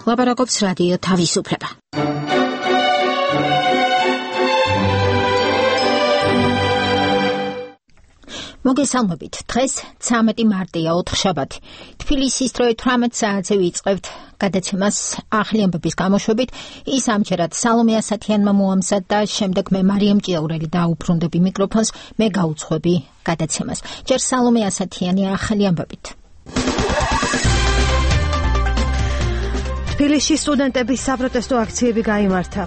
ლაპარაკობს რადიო თავისუფლება. მოგესალმებით. დღეს 13 მარტია, ოთხშაბათი. თბილისის დროით 18 საათზე ვიწყებთ გადაცემას ახალი ამბების გამოშვებით. ის ამჯერად სალომე ასათიანმა მოამზადა და შემდეგ მე მარიამ ჭიაურელი დაუბრუნდები მიკროფონს, მე გაუძღვები გადაცემას. ჯერ სალომე ასათიანი ახალი ამბებით. თბილისში სტუდენტების საპროტესტო აქციები გაიმართა.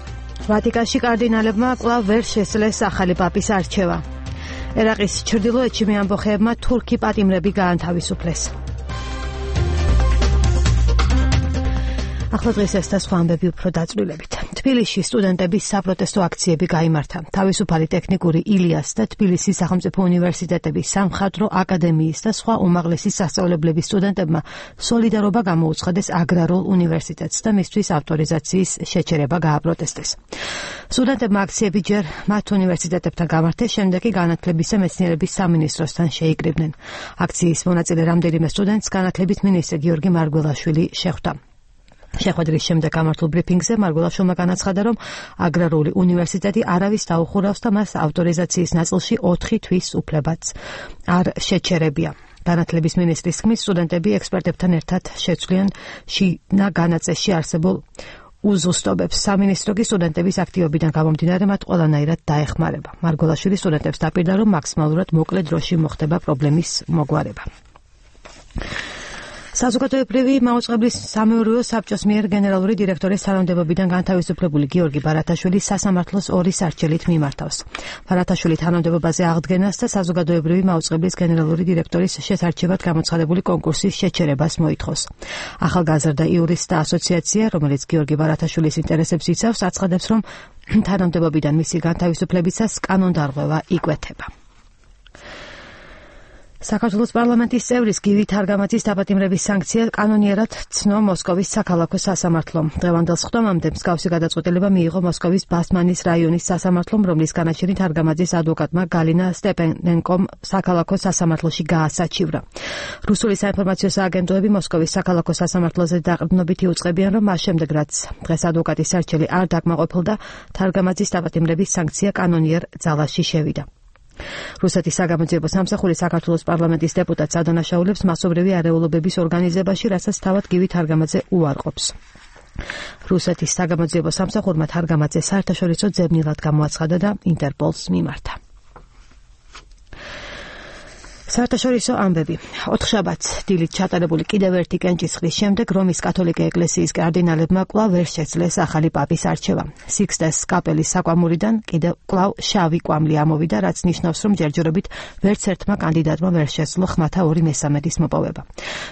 ვატიკანში კარდინალებმა კვლავ ვერ შესძლეს ახალი პაპის არჩევა. ერაყის ჩრდილოეთში მეამბოხეებმა თურქი პატიმრები გაანთავისუფლეს. ახლა დღეს ეს და სხვა ამბები უფრო დაწვრილებით. თბილისში სტუდენტების საპროტესტო აქციები გაიმართა. თავისუფალი ტექნიკური ილიას და თბილისის სახელმწიფო უნივერსიტეტების სამხატვრო აკადემიის და სხვა უმაღლესი სასწავლებლების სტუდენტებმა სოლიდარობა გამოუცხადეს აგრარულ უნივერსიტეტს და მისთვის ავტორიზაციის შეჩერება გააპროტესტეს. სტუდენტებმა აქციები ჯერ მათ უნივერსიტეტებთან გამართეს, შემდეგ კი განათლების და მეცნიერების სამინისტროსთან შეიკრიბნენ. აქციის მონაწილე რამდენიმე სტუდენტს განათლების მინისტრი გიორგი მარგველაშვილი შეხვდა. შეხვედრის შემდეგ გამართულ ბრიფინგზე მარგველაშვილმა განაცხადა, რომ აგრარული უნივერსიტეტი არავის დაუხურავს და მას ავტორიზაციის ნაწილში 4 თვის უფლებაც არ შეჩერებია. განათლების მინისტრის თქმით, სტუდენტები ექსპერტებთან ერთად შეცვლიან შინა განაწესში არსებულ უზუსტობებს. სამინისტრო კი სტუდენტების აქტივობიდან გამომდინარე მათ ყველანაირად დაეხმარება. მარგველაშვილი სტუდენტებს დაპირდა, რომ მაქსიმალურად მოკლე დროში მოხდება პრობლემის მოგვარება. საზოგადოებრივი მაუწყებლის სამეურვეო საბჭოს მიერ გენერალური დირექტორის თანამდებობიდან განთავისუფლებული გიორგი ბარათაშვილი სასამართლოს 2 სარჩელით მიმართავს. ბარათაშვილი თანამდებობაზე აღდგენას და საზოგადოებრივი მაუწყებლის გენერალური დირექტორის შესარჩევად გამოცხადებული კონკურსის შეჩერებას მოითხოვს. ახალგაზრდა იურისტთა ასოციაცია, რომელიც გიორგი ბარათაშვილის ინტერესებს იცავს, აცხადებს, რომ თანამდებობიდან მისი განთავისუფლებისას კანონდარღვევა იკვეთება. საქართველოს პარლამენტის წევრის გივი თარგამაძის დაპატიმრების სანქცია კანონიერად ცნო მოსკოვის საქალაქო სასამართლომ. დღევანდელ სხდომამდე მსგავსი გადაწყვეტილება მიიღო მოსკოვის ბასმანის რაიონის სასამართლომ, რომლის განაჩენი თარგამაძის ადვოკატმა გალინა სტეპანენკომ საქალაქო სასამართლოში გაასაჩივრა. რუსული საინფორმაციო სააგენტოები მოსკოვის საქალაქო სასამართლოზე დაყრდნობით იუწყებიან, რომ მას შემდეგ, რაც დღეს ადვოკატის სარჩელი არ დაკმაყოფილდა, თარგამაძის დაპატიმრების სანქცია კანონიერ ძალაში შევიდა. რუსეთის საგამოძიებო სამსახური საქართველოს პარლამენტის დეპუტატს ადანაშაულებს მასობრივი არეულობების ორგანიზებაში, რასაც თავად გივი თარგამაძე უარყოფს. რუსეთის საგამოძიებო სამსახურმა თარგამაძე საერთაშორისო ძებნილად გამოაცხადა და ინტერპოლს მიმართა. საერთაშორისო ამბები. ოთხშაბათს დილით ჩატარებული კიდევ ერთი კენჭისყრის შემდეგ რომის კათოლიკე ეკლესიის კარდინალებმა კვლავ ვერ შეძლეს ახალი პაპის არჩევა. სიქსტეს კაპელის საკვამურიდან კიდევ კვლავ შავი კვამლი ამოვიდა, რაც ნიშნავს, რომ ჯერჯერობით ვერც ერთმა კანდიდატმა ვერ შეძლო ხმათა 2/3 მოპოვება.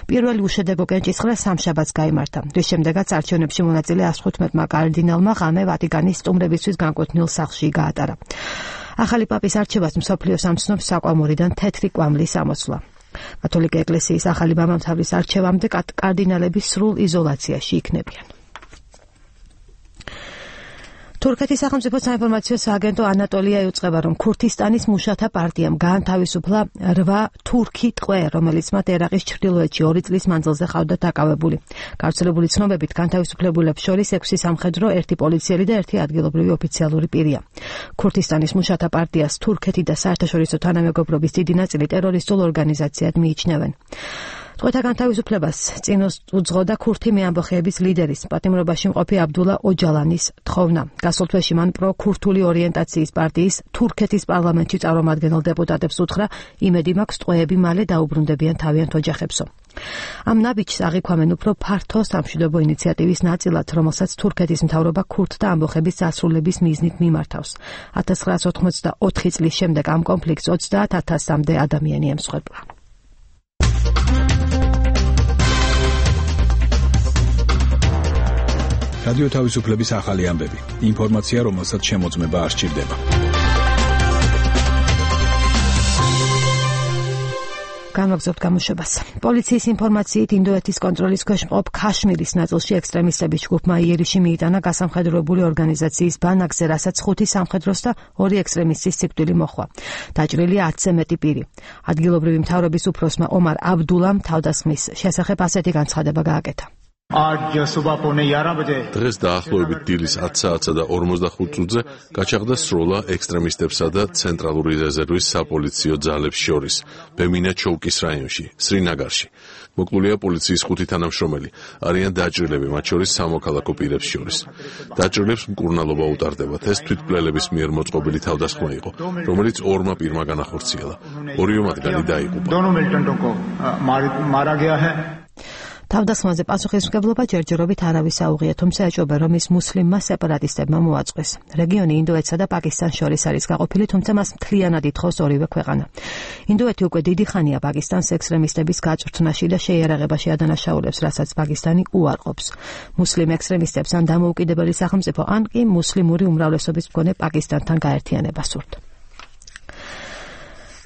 პირველი უშედეგო კენჭისყრა სამშაბათს გაიმართა, რის შემდეგაც არჩევნებში მონაწილე 115-მა კარდინალმა ღამე ვატიკანის სტუმრებისთვის განკვეთნილ სახლში გაატარა. ახალი პაპის არჩევას მსოფლიოს ამცნობს საკვამურიდან თეთრი კვამლის ამოსვლა. კათოლიკე ეკლესიის ახალი მამამთავრის არჩევამდე კარდინალები სრულ იზოლაციაში იქნებიან. თურქეთის სახელმწიფო საინფორმაციო სააგენტო ანატოლია იუწყება, რომ ქურთისტანის მუშათა პარტიამ გაანთავისუფლა 8 თურქი ტყვე, რომელიც მათ ერაყის ჩრდილოეთში 2 წლის მანძილზე ყავდა დაკავებული. გავრცელებული ცნობებით განთავისუფლებულებს შორის 6 სამხედრო, 1 პოლიციელი და 1 ადგილობრივი ოფიციალური პირია. ქურთისტანის მუშათა პარტიას თურქეთი და საერთაშორისო თანამეგობრობის დიდი ნაწილი ტერორისტულ ორგანიზაციად მიიჩნევენ. ტყვეთა განთავისუფლებას წინ უძღოდა ქურთი მეამბოხეების ლიდერის, პატიმრობაში მყოფი აბდულა ოჯალანის თხოვნა. გასულ თვეში მან პრო-ქურთული ორიენტაციის პარტიის თურქეთის პარლამენტში წარმომადგენელ დეპუტატებს უთხრა, იმედი მაქვს ტყვეები მალე დაუბრუნდებიან თავიანთ ოჯახებსო. ამ ნაბიჯს აღიქვამენ უფრო ფართო სამშვიდობო ინიციატივის ნაწილად, რომელსაც თურქეთის მთავრობა ქურთთა ამბოხების დასრულების მიზნით მიმართავს. 1984 წლის შემდეგ ამ კონფლიქტს 30,000-მდე ადამიანი ემსხვერპლა. რადიო თავისუფლების ახალი ამბები. ინფორმაცია, რომელსაც შემოწმება არ სჭირდება. გამოგზავნოთ გამოშვებას. პოლიციის ინფორმაციით ინდოეთის კონტროლის ქვეშ მყოფ ქაშმირის ნაწილში ექსტრემისტების ჯგუფმა იერიში მიიტანა გასამხედროებული ორგანიზაციის ბანაკზე, რასაც 5 სამხედროს და 2 ექსტრემისტის სიკვდილი მოჰყვა. დაჭრილია 10-ზე მეტი პირი. ადგილობრივი მთავრობის უფროსმა ომარ აბდულამ თავდასხმის შესახებ ასეთი განცხადება გააკეთა. დღეს დაახლოებით დილის 10 საათსა და 45 წუთზე გაჩაღდა სროლა ექსტრემისტებსა და ცენტრალური რეზერვის საპოლიციო ძალებს შორის ბემინა-ჩოუკის რაიონში, სრინაგარში. მოკლულია პოლიციის 5 თანამშრომელი, არიან დაჭრილები, მათ შორის სამოქალაქო პირებს შორის. დაჭრილებს მკურნალობა უტარდებათ, ეს თვითმკვლელების მიერ მოწყობილი თავდასხმა იყო, რომელიც ორმა პირმა განახორციელა. ორივე მათგანი დაიღუპა. თავდასხმაზე პასუხისმგებლობა ჯერჯერობით არავის აუღია, თუმცა ეჭვება, რომ ის მუსლიმმა სეპარატისტებმა მოაწყვეს. რეგიონი ინდოეთსა და პაკისტანს შორის არის გაყოფილი, თუმცა მას მთლიანად ითხოვს ორივე ქვეყანა. ინდოეთი უკვე დიდი ხანია პაკისტანს ექსტრემისტების გაწვრთნაში და შეიარაღებაში ადანაშაულებს, რასაც პაკისტანი უარყოფს. მუსლიმ ექსტრემისტებს ან დამოუკიდებელი სახელმწიფო, ან კი მუსლიმური უმრავლესობის მქონე პაკისტანთან გაერთიანება სურთ.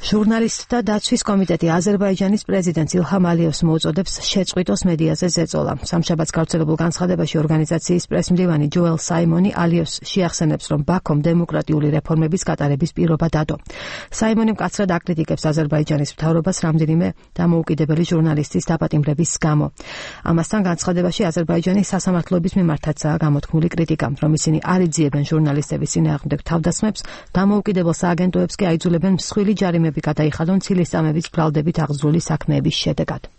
ჟურნალისტთა დაცვის კომიტეტი აზერბაიჯანის პრეზიდენტს ილჰამ ალიევს მოუწოდებს შეწყვიტოს მედიაზე ზეწოლა. სამშაბათს გავრცელებულ განცხადებაში ორგანიზაციის პრესმდივანი ჯოელ საიმონი ალიევს შეახსენებს, რომ ბაქომ დემოკრატიული რეფორმების გატარების პირობა დადო. საიმონი მკაცრად აკრიტიკებს აზერბაიჯანის მთავრობას რამდენიმე დამოუკიდებელი ჟურნალისტის დაპატიმრების გამო. ამასთან განცხადებაში აზერბაიჯანის სასამართლოების მიმართაცაა გამოთქმული კრიტიკა, რომ ისინი არ იძიებენ ჟურნალისტების წინააღმდეგ თავდასხმებს, დამოუკიდებელ სააგენტოებს კი აიძულებენ მსხვილი ჯარიმები გადაიხადონ ცილისწამების ბრალდებით აღძრული საქმეების შედეგად.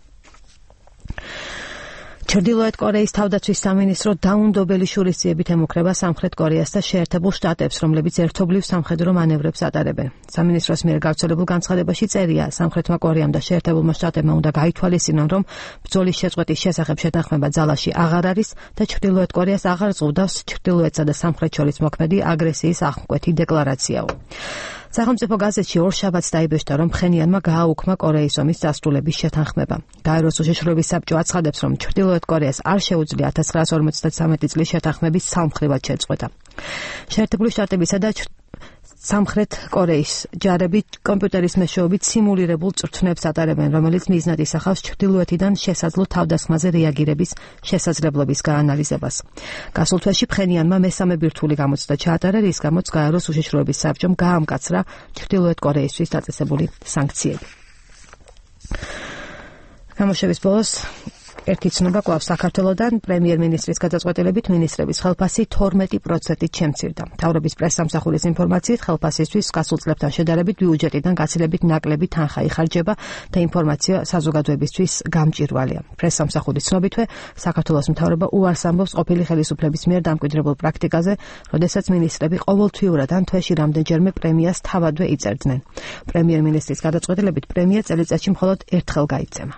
ჩრდილოეთ კორეის თავდაცვის სამინისტრო დაუნდობელი შურისძიებით ემუქრება სამხრეთ კორეას და შეერთებულ შტატებს, რომლებიც ერთობლივ სამხედრო მანევრებს ატარებენ. სამინისტროს მიერ გავრცელებულ განცხადებაში წერია, სამხრეთმა კორეამ და შეერთებულმა შტატებმა უნდა გაითვალისწინონ, რომ ბრძოლის შეწყვეტის შესახებ შეთანხმება ძალაში აღარ არის და ჩრდილოეთ კორეას აღარ ზღუდავს ჩრდილოეთსა და სამხრეთ შორის მოქმედი აგრესიის აღმკვეთი დეკლარაციაო. სახელმწიფო გაზეთში ორშაბათს დაიბეჭდა, რომ ფხენიანმა გააუქმა კორეის ომის დასრულების შეთანხმება. გაეროს უშიშროების საბჭო აცხადებს, რომ ჩრდილოეთ კორეას არ შეუძლია 1953 წლის შეთანხმების სამხრივად შეწყვეტა. შეერთებული შტატებისა და სამხრეთ კორეის ჯარები კომპიუტერის მეშვეობით სიმულირებულ წვრთნებს ატარებენ, რომელიც მიზნად ისახავს ჩრდილოეთიდან შესაძლო თავდასხმაზე რეაგირების შესაძლებლობის გაანალიზებას. გასულ თვეში ფხენიანმა მესამე ბირთვული გამოცდა ჩაატარა, რის გამოც გაეროს უშიშროების საბჭომ გაამკაცრა ჩრდილოეთ კორეისთვის დაწესებული სანქციები. გამოშვების ბოლოს ერთი ცნობა კვლავ საქართველოდან პრემიერ-მინისტრის გადაწყვეტილებით მინისტრების ხელფასი 12%-ით შემცირდა. მთავრობის პრესსამსახურის ინფორმაციით ხელფასისთვის გასულ წლებთან შედარებით ბიუჯეტიდან გაცილებით ნაკლები თანხა იხარჯება და ინფორმაცია საზოგადოებისთვის გამჭირვალეა. პრესსამსახურის ცნობითვე საქართველოს მთავრობა უარს ამბობს ყოფილი ხელისუფლების მიერ დამკვიდრებულ პრაქტიკაზე, როდესაც მინისტრები ყოველთვიურად ან თვეში რამდენჯერმე პრემიას თავადვე იწერდნენ. პრემიერ-მინისტრის გადაწყვეტილებით პრემია წელიწადში მხოლოდ ერთხელ გაიცემა.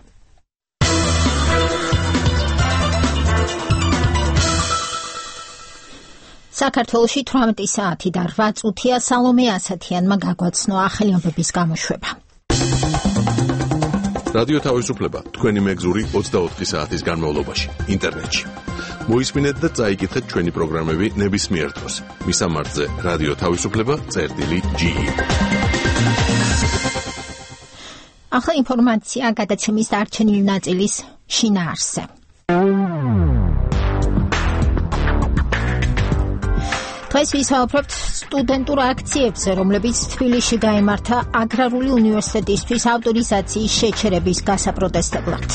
საქართველოში 18 საათი და 8 წუთია სალომე ასათიანმა გაგვაცნო ახალი ამბების გამოშვება. რადიო თავისუფლება თქვენი მეგზური 24 საათის განმავლობაში ინტერნეტში. მოისმინეთ და წაიკითხეთ ჩვენი პროგრამები ნებისმიერ დროს. მისამართზე რადიო თავისუფლება.ge. ახლა ინფორმაცია გადაცემის დარჩენილი ნაწილის შინაარსზე. დღეს ვისაუბრებთ სტუდენტურ აქციებზე, რომლებიც თბილისში გაიმართა აგრარული უნივერსიტეტისთვის ავტორიზაციის შეჩერების გასაპროტესტებლად.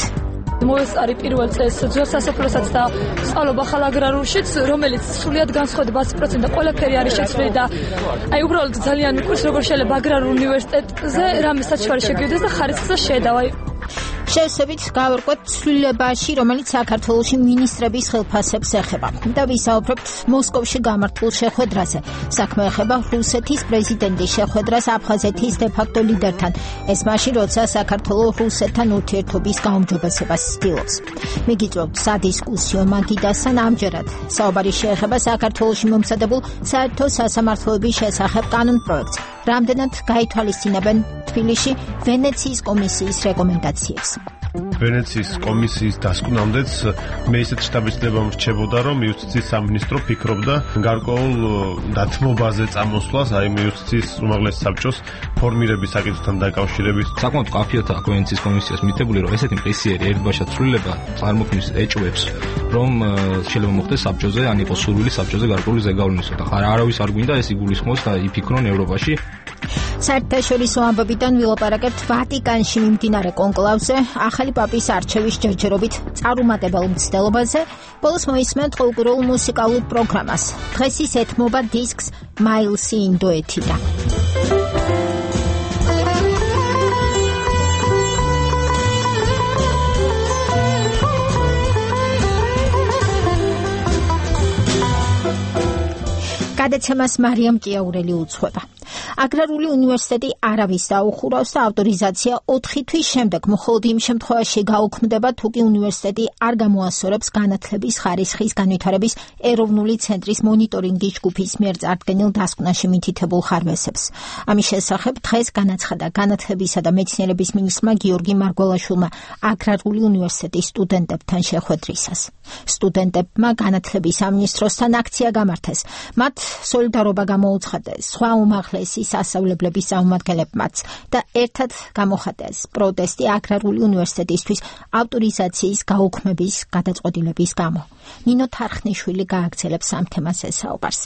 მოესწარი პირველ წელს ძველ სასოფლოსაც და სწავლობა ხალ აგრარულშიც, რომელიც სრულიად განსხვავდება 100% და ყველაფერი არის შეცვლილი და უბრალოდ ძალიან მიყურს, როგორ შეიძლება აგრარულ უნივერსიტეტზე რამე საჩვარი შეგივდეს და ხარისხზე შეედავა. შევსებით გავერკვეთ ცვლილებაში, რომელიც საქართველოში მინისტრების ხელფასებს ეხება და ვისაუბრებთ მოსკოვში გამართულ შეხვედრაზე. საქმე ეხება რუსეთის პრეზიდენტის შეხვედრას აფხაზეთის დე-ფაქტო ლიდერთან. ეს მაშინ, როცა საქართველო რუსეთთან ურთიერთობის გაუმჯობესებას ცდილობს. მიგიწევთ სადისკუსიო მაგიდასთან ამჯერად. საუბარი შეეხება საქართველოში მომზადებულ საერთო სასამართლოების შესახებ კანონპროექტს. რამდენად გაითვალისწინებენ თბილისში ვენეციის კომისიის რეკომენდაციებს. ვენეციის კომისიის დასკვნამდეც მე ისეთ შთაბეჭდილება მრჩებოდა, რომ იუსტიციის სამინისტრო ფიქრობდა გარკვეულ დათმობაზე წამოსვლას, აი იუსტიციის უმაღლეს საბჭოს ფორმირების საკითხთან დაკავშირებით. საკმაოდ კაფიოთა ვენეციის კომისიას მითებული, რომ ესეთი მყისიერი ერთბაშად ცვლილება წარმოქმნის ეჭვებს, რომ შეიძლება მოხდეს საბჭოზე, ან იყოს სურვილი საბჭოზე გარკვეული ზეგავლენისა და არავის არ გვინდა ეს იგულისხმოს და იფიქრონ ევროპაში. საერთაშორისო ამბებიდან ვილაპარაკებთ ვატიკანში მიმდინარე კონკლავზე, ახალი პაპის არჩევის ჯერჯერობით წარუმატებელ მცდელობაზე, ბოლოს მოისმენთ ყოველკვირეულ მუსიკალურ პროგრამას. დღეს ის ეთმობა დისკს Miles in Duetida. გადაცემას მარიამ ჭიაურელი უძღვება. აგრარული უნივერსიტეტი არავის დაუხურავს და ავტორიზაცია 4 თვის შემდეგ მხოლოდ იმ შემთხვევაში გაუქმდება, თუ კი უნივერსიტეტი არ გამოასწორებს განათლების ხარისხის განვითარების ეროვნული ცენტრის მონიტორინგის ჯგუფის მიერ წარდგენილ დასკვნაში მითითებულ ხარვესებს. ამის შესახებ დღეს განაცხადა განათლებისა და მეცნიერების მინისტრმა გიორგი მარგველაშვილმა აგრარული უნივერსიტეტის სტუდენტებთან შეხვედრისას. სტუდენტებმა განათლების სამინისტროსთან აქცია გამართეს. მათ სოლიდარობა გამოუცხადეს სხვა უმაღლესი სასწავლებლების წარმომადგენლებმაც და ერთად გამოხატეს პროტესტი აგრარული უნივერსიტეტისთვის ავტორიზაციის გაუქმების გადაწყვეტილების გამო. ნინო თარხნიშვილი გააგრძელებს ამ თემას ესაუბარს.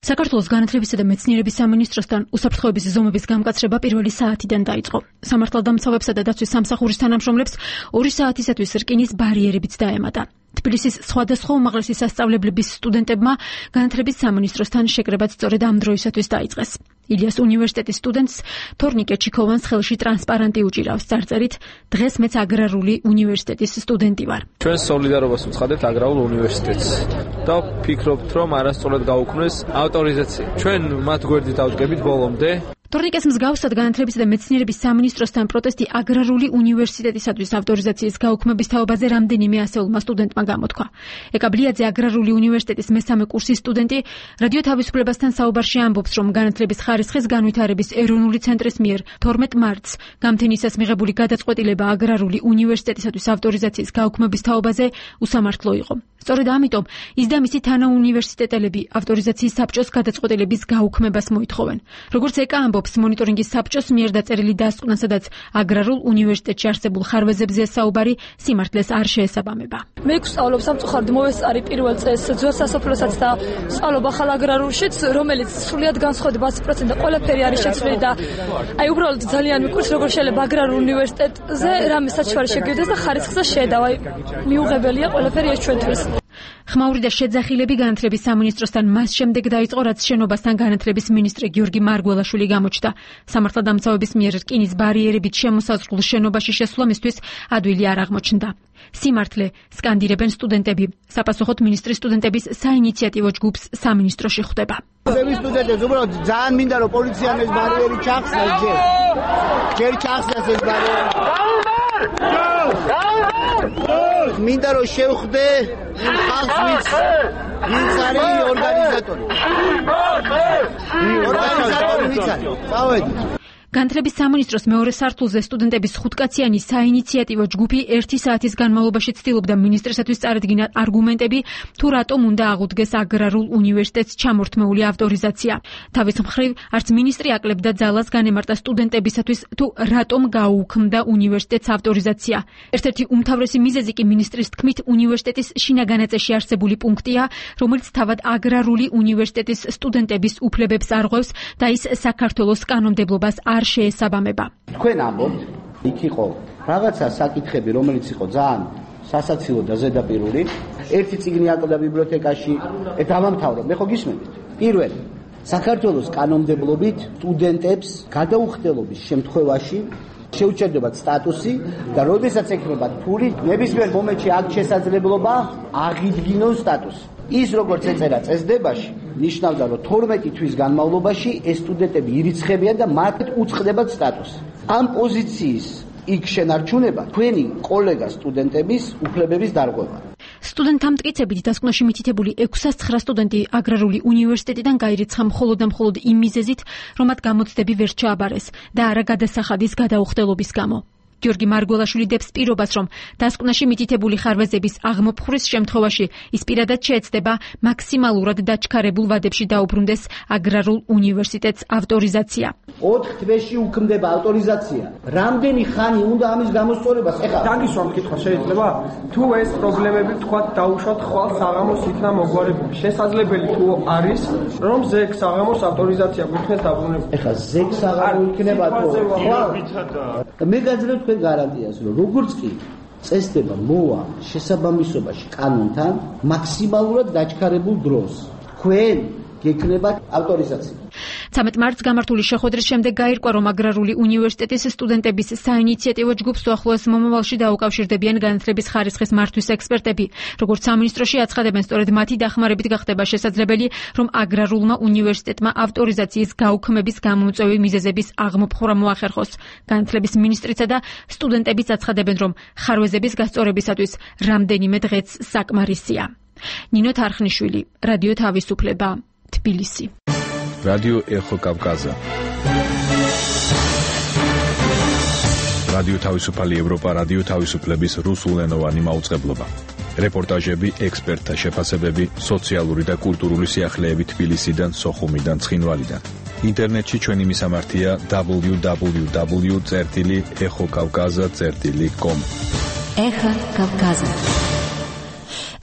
საქართველოს განათლებისა და მეცნიერების სამინისტროსთან უსაფრთხოების ზომების გამკაცრება პირველი საათიდან დაიწყო. სამართალდამცავებსა და დაცვის სამსახურის თანამშრომლებს 2 საათისათვის რკინის ბარიერებიც დაემატა. თბილისის სხვადასხვა უმაღლესი სასწავლებლების სტუდენტებმა განათლების სამინისტროსთან შეკრებაც სწორედ ამ დროისათვის დაიწყეს. ილიას უნივერსიტეტის სტუდენტს თორნიკე ჩიქოვანს ხელში ტრანსპარანტი უჭირავს წარწერით დღეს მეც აგრარული უნივერსიტეტის სტუდენტი ვარ. ჩვენ სოლიდარობას ვუცხადებთ აგრარულ უნივერსიტეტს და ვფიქრობთ, რომ არასწორად გაუქმნეს ავტორიზაცია. ჩვენ მათ გვერდით ავდგებით ბოლომდე. თორნიკეს მსგავსად განათლებისა და მეცნიერების სამინისტროსთან პროტესტი აგრარული უნივერსიტეტისათვის ავტორიზაციის გაუქმების თაობაზე რამდენიმე ასეულმა სტუდენტმა გამოთქვა. ეკა ბლიაძე აგრარული უნივერსიტეტის მესამე კურსის სტუდენტი რადიო თავისუფლებასთან საუბარში ამბობს, რომ განათლების ხარისხის განვითარების ეროვნული ცენტრის მიერ 12 მარტს გამთენისას მიღებული გადაწყვეტილება აგრარული უნივერსიტეტისათვის ავტორიზაციის გაუქმების თაობაზე უსამართლო იყო. სწორედ ამიტომ ის და მისი თანაუნივერსიტეტელები ავტორიზაციის საბჭოს გადაწყვეტილების გაუქმებას მოითხოვენ. როგორც ეკა ამბობს, მონიტორინგის საბჭოს მიერ დაწერილი დასკვნა, სადაც აგრარულ უნივერსიტეტში არსებულ ხარვეზებზე საუბარი სიმართლეს არ შეესაბამება. მე გვსწავლობ სამწუხაროდ მოვესწარი პირველ წელს ძველ სასოფლოსაც და ვსწავლობ ახალ აგრარულშიც, რომელიც სრულიად განსხვავდება 100% და ყველაფერი არის შეცვლილი და აი უბრალოდ ძალიან მიყურს, როგორ შეიძლება აგრარულ უნივერსიტეტზე რამე საჩვარი შეგივდეს და ხარისხზე შედავა. მიუღებელია ყველაფერი ეს ჩვენთვის. ხმაური და შეძახილები განათლების სამინისტროსთან მას შემდეგ დაიწყო, რაც შენობასთან განათლების მინისტრი გიორგი მარგველაშვილი გამოჩნდა. სამართალდამცავების მიერ რკინის ბარიერებით შემოსაზღვრულ შენობაში შესვლა მისთვის ადვილი არ აღმოჩნდა. სიმართლე სკანდირებენ სტუდენტები. საპასუხოდ მინისტრის სტუდენტების საინიციატივო ჯგუფს სამინისტროში ხვდება. სტუდენტებს უბრალოდ ძალიან მინდა რომ პოლიციამ ეს ბარიერი ჩახსნას ჯერ ჩახსნას ეს ბარიერი. მინდა რომ შევხვდე იმ ხალხს, ვინც არის ორგანიზატორი. ორგანიზატორი ვინც არის? წავედით. განათლების სამინისტროს მეორე სართულზე სტუდენტების 5-კაციანი საინიციატივო ჯგუფი 1 საათის განმავლობაში ცდილობდა მინისტრისათვის წარედგინა არგუმენტები, თუ რატომ უნდა აღუდგეს აგრარულ უნივერსიტეტს ჩამორთმეული ავტორიზაცია. თავის მხრივ, არც მინისტრი აკლებდა ძალას განემარტა სტუდენტებისათვის, თუ რატომ გაუქმდა უნივერსიტეტს ავტორიზაცია. ერთ-ერთი უმთავრესი მიზეზი კი მინისტრის თქმით უნივერსიტეტის შინაგანაწესში არსებული პუნქტია, რომელიც თავად აგრარული უნივერსიტეტის სტუდენტების უფლებებს არღვევს და ის საქართველოს კანონმდებლობას არ შეესაბამება. თქვენ ამბობთ, იქ იყო რაღაცა საკითხები, რომელიც იყო ძალიან სასაცილო და ზედაპირული. ერთი წიგნი აკლდა ბიბლიოთეკაში, დავამთავრო. მე ხო გისმენთ? პირველი, საქართველოს კანონმდებლობით სტუდენტებს გადაუხდელობის შემთხვევაში შეუჩერდებათ სტატუსი და როდესაც ექნებათ ფული, ნებისმიერ მომენტში აქვს შესაძლებლობა აღიდგინოს სტატუსი. ის როგორც ეწერა წესდებაში, ნიშნავდა, რომ 12 თვის განმავლობაში ეს სტუდენტები ირიცხებიან და მათ უწყდებათ სტატუსი. ამ პოზიციის იქ შენარჩუნება თქვენი კოლეგა სტუდენტების უფლებების დარღვევა. სტუდენტთა მტკიცებით დასკვნაში მითითებული 609 სტუდენტი აგრარული უნივერსიტეტიდან გაირიცხა მხოლოდ და მხოლოდ იმ მიზეზით, რომ მათ გამოცდები ვერ ჩააბარეს და არა გადასახადის გადაუხდელობის გამო. გიორგი მარგველაშვილი დებს პირობას, რომ დასკვნაში მითითებული ხარვეზების აღმოფხვრის შემთხვევაში ის პირადად შეეცდება მაქსიმალურად დაჩქარებულ ვადებში დაუბრუნდეს აგრარულ უნივერსიტეტს ავტორიზაცია. 4 თვეში უქმდება ავტორიზაცია. რამდენი ხანი უნდა ამის გამოსწორებას? ეხლა დაგისვამ კითხვა შეიძლება? თუ ეს პრობლემები თქვათ დაუშვათ ხვალ საღამოს იქნა მოგვარებული. შესაძლებელი თუ არის, რომ ზეგ საღამოს ავტორიზაცია გიქნეს დაბრუნებული. ეხლა ზეგ საღამო იქნება თუ ხვალ? მე გაძლევ თქვენ გარანტიას, რომ როგორც კი წესდება მოვა შესაბამისობაში კანონთან მაქსიმალურად დაჩქარებულ დროს თქვენ გეკნება ავტორიზაცია. 13 მარტს გამართული შეხვედრის შემდეგ გაირკვა, რომ აგრარული უნივერსიტეტის სტუდენტების საინიციატივო ჯგუფს უახლოეს მომავალში დაუკავშირდებიან განათლების ხარისხის მართვის ექსპერტები. როგორც სამინისტროში აცხადებენ, სწორედ მათი დახმარებით გახდება შესაძლებელი, რომ აგრარულმა უნივერსიტეტმა ავტორიზაციის გაუქმების გამომწვევი მიზეზების აღმოფხვრა მოახერხოს. განათლების მინისტრიცა და სტუდენტებიც აცხადებენ, რომ ხარვეზების გასწორებისათვის რამდენიმე დღეც საკმარისია. ნინო თარხნიშვილი, რადიო თავისუფლება, თბილისი. რადიო ეხო კავკაზა. რადიო თავისუფალი ევროპა, რადიო თავისუფლების რუსულენოვანი მაუწყებლობა. რეპორტაჟები, ექსპერტთა შეფასებები, სოციალური და კულტურული სიახლეები თბილისიდან, სოხუმიდან, ცხინვალიდან. ინტერნეტში ჩვენი მისამართია www.exokavkaza.com. ეხო კავკაზა.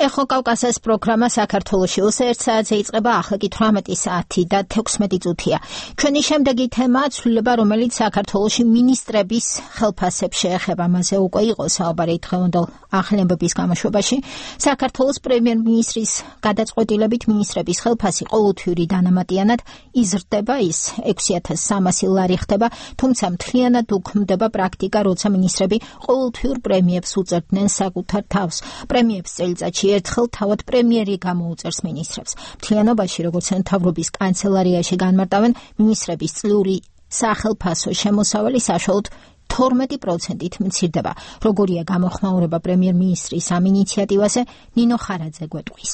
ეხო კავკასიის პროგრამა საქართველოში 1 საათზე იწყება, ახლა კი 18 საათი და 16 წუთია. ჩვენი შემდეგი თემა ცვლილება, რომელიც საქართველოში მინისტრების ხელფასებს შეეხება. მასზე უკვე იყო საუბარი დღევანდელ ახლებების გამოშვებაში. საქართველოს პრემიერ-მინისტრის გადაწყვეტილებით მინისტრების ხელფასი ყოველთვიური დანამატიანად იზრდება, ის 6300 ლარი ხდება, თუმცა მთლიანად უქმდება პრაქტიკა, როცა მინისტრები ყოველთვიურ პრემიებს უწევდნენ საკუთარ თავს. პრემიებს წელიწადში ერთხელ თავად პრემიერი გამოუწერს მინისტრებს. მთლიანობაში, როგორც მთავრობის კანცელარიაში განმარტავენ, მინისტრების წლიური სახელფასო შემოსავალი საშუალოდ 12%-ით მცირდება. როგორია გამოხმაურება პრემიერ-მინისტრის ამ ინიციატივაზე, ნინო ხარაძე გვეტყვის.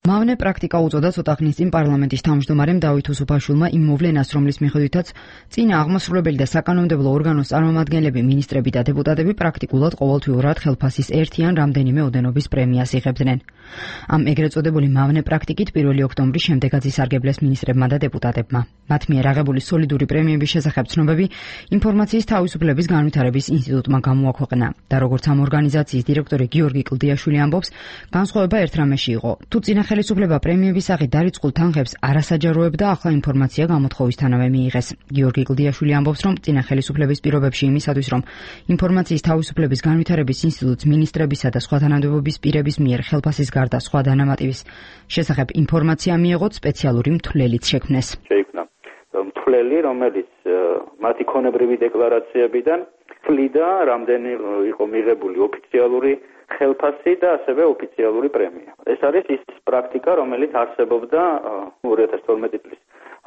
მავნე პრაქტიკა უწოდა ცოტა ხნის წინ პარლამენტის თავმჯდომარემ დავით უსუფაშვილმა იმ მოვლენას, რომლის მიხედვითაც წინა აღმასრულებელი და საკანონმდებლო ორგანოს წარმომადგენლები, მინისტრები და დეპუტატები პრაქტიკულად ყოველთვიურად ხელფასის ერთი ან რამდენიმე ოდენობის პრემიას იღებდნენ. ამ ეგრეთ წოდებული მავნე პრაქტიკით 1 ოქტომბრის შემდეგაც ისარგებლეს მინისტრებმა და დეპუტატებმა. მათ მიერ აღებული სოლიდური პრემიების შესახებ ცნობები ინფორმაციის თავისუფლების განვითარების ინსტიტუტმა გამოაქვეყნა და როგორც ამ ორგანიზაციის დირექტორი გიორგი კლდიაშვილი ამბობს, განსხვავება ერთ რამეში იყო. თუ წინა ხელისუფლება პრემიების სახით დარიწყულ თანხებს არასაჯაროებდა, ახლა ინფორმაცია გამოთხოვისთანავე მიიღეს. გიორგი კლდიაშვილი ამბობს, რომ წინა ხელისუფლების პირობებში იმისათვის, რომ ინფორმაციის თავისუფლების განვითარების ინსტიტუტს მინისტრებისა და სხვა თანამდებობის პირების მიერ ხელფასის გარდა სხვა დანამატების შესახებ ინფორმაცია მიიღოთ, სპეციალური მთვლელიც შექმნეს. შეიქმნა მთვლელი, რომელიც მათი ქონებრივი დეკლარაციებიდან თვლიდა, რამდენი იყო მიღებული ოფიციალური ხელფასი და ასევე ოფიციალური პრემია. ეს არის ის პრაქტიკა, რომელიც არსებობდა 2012 წლის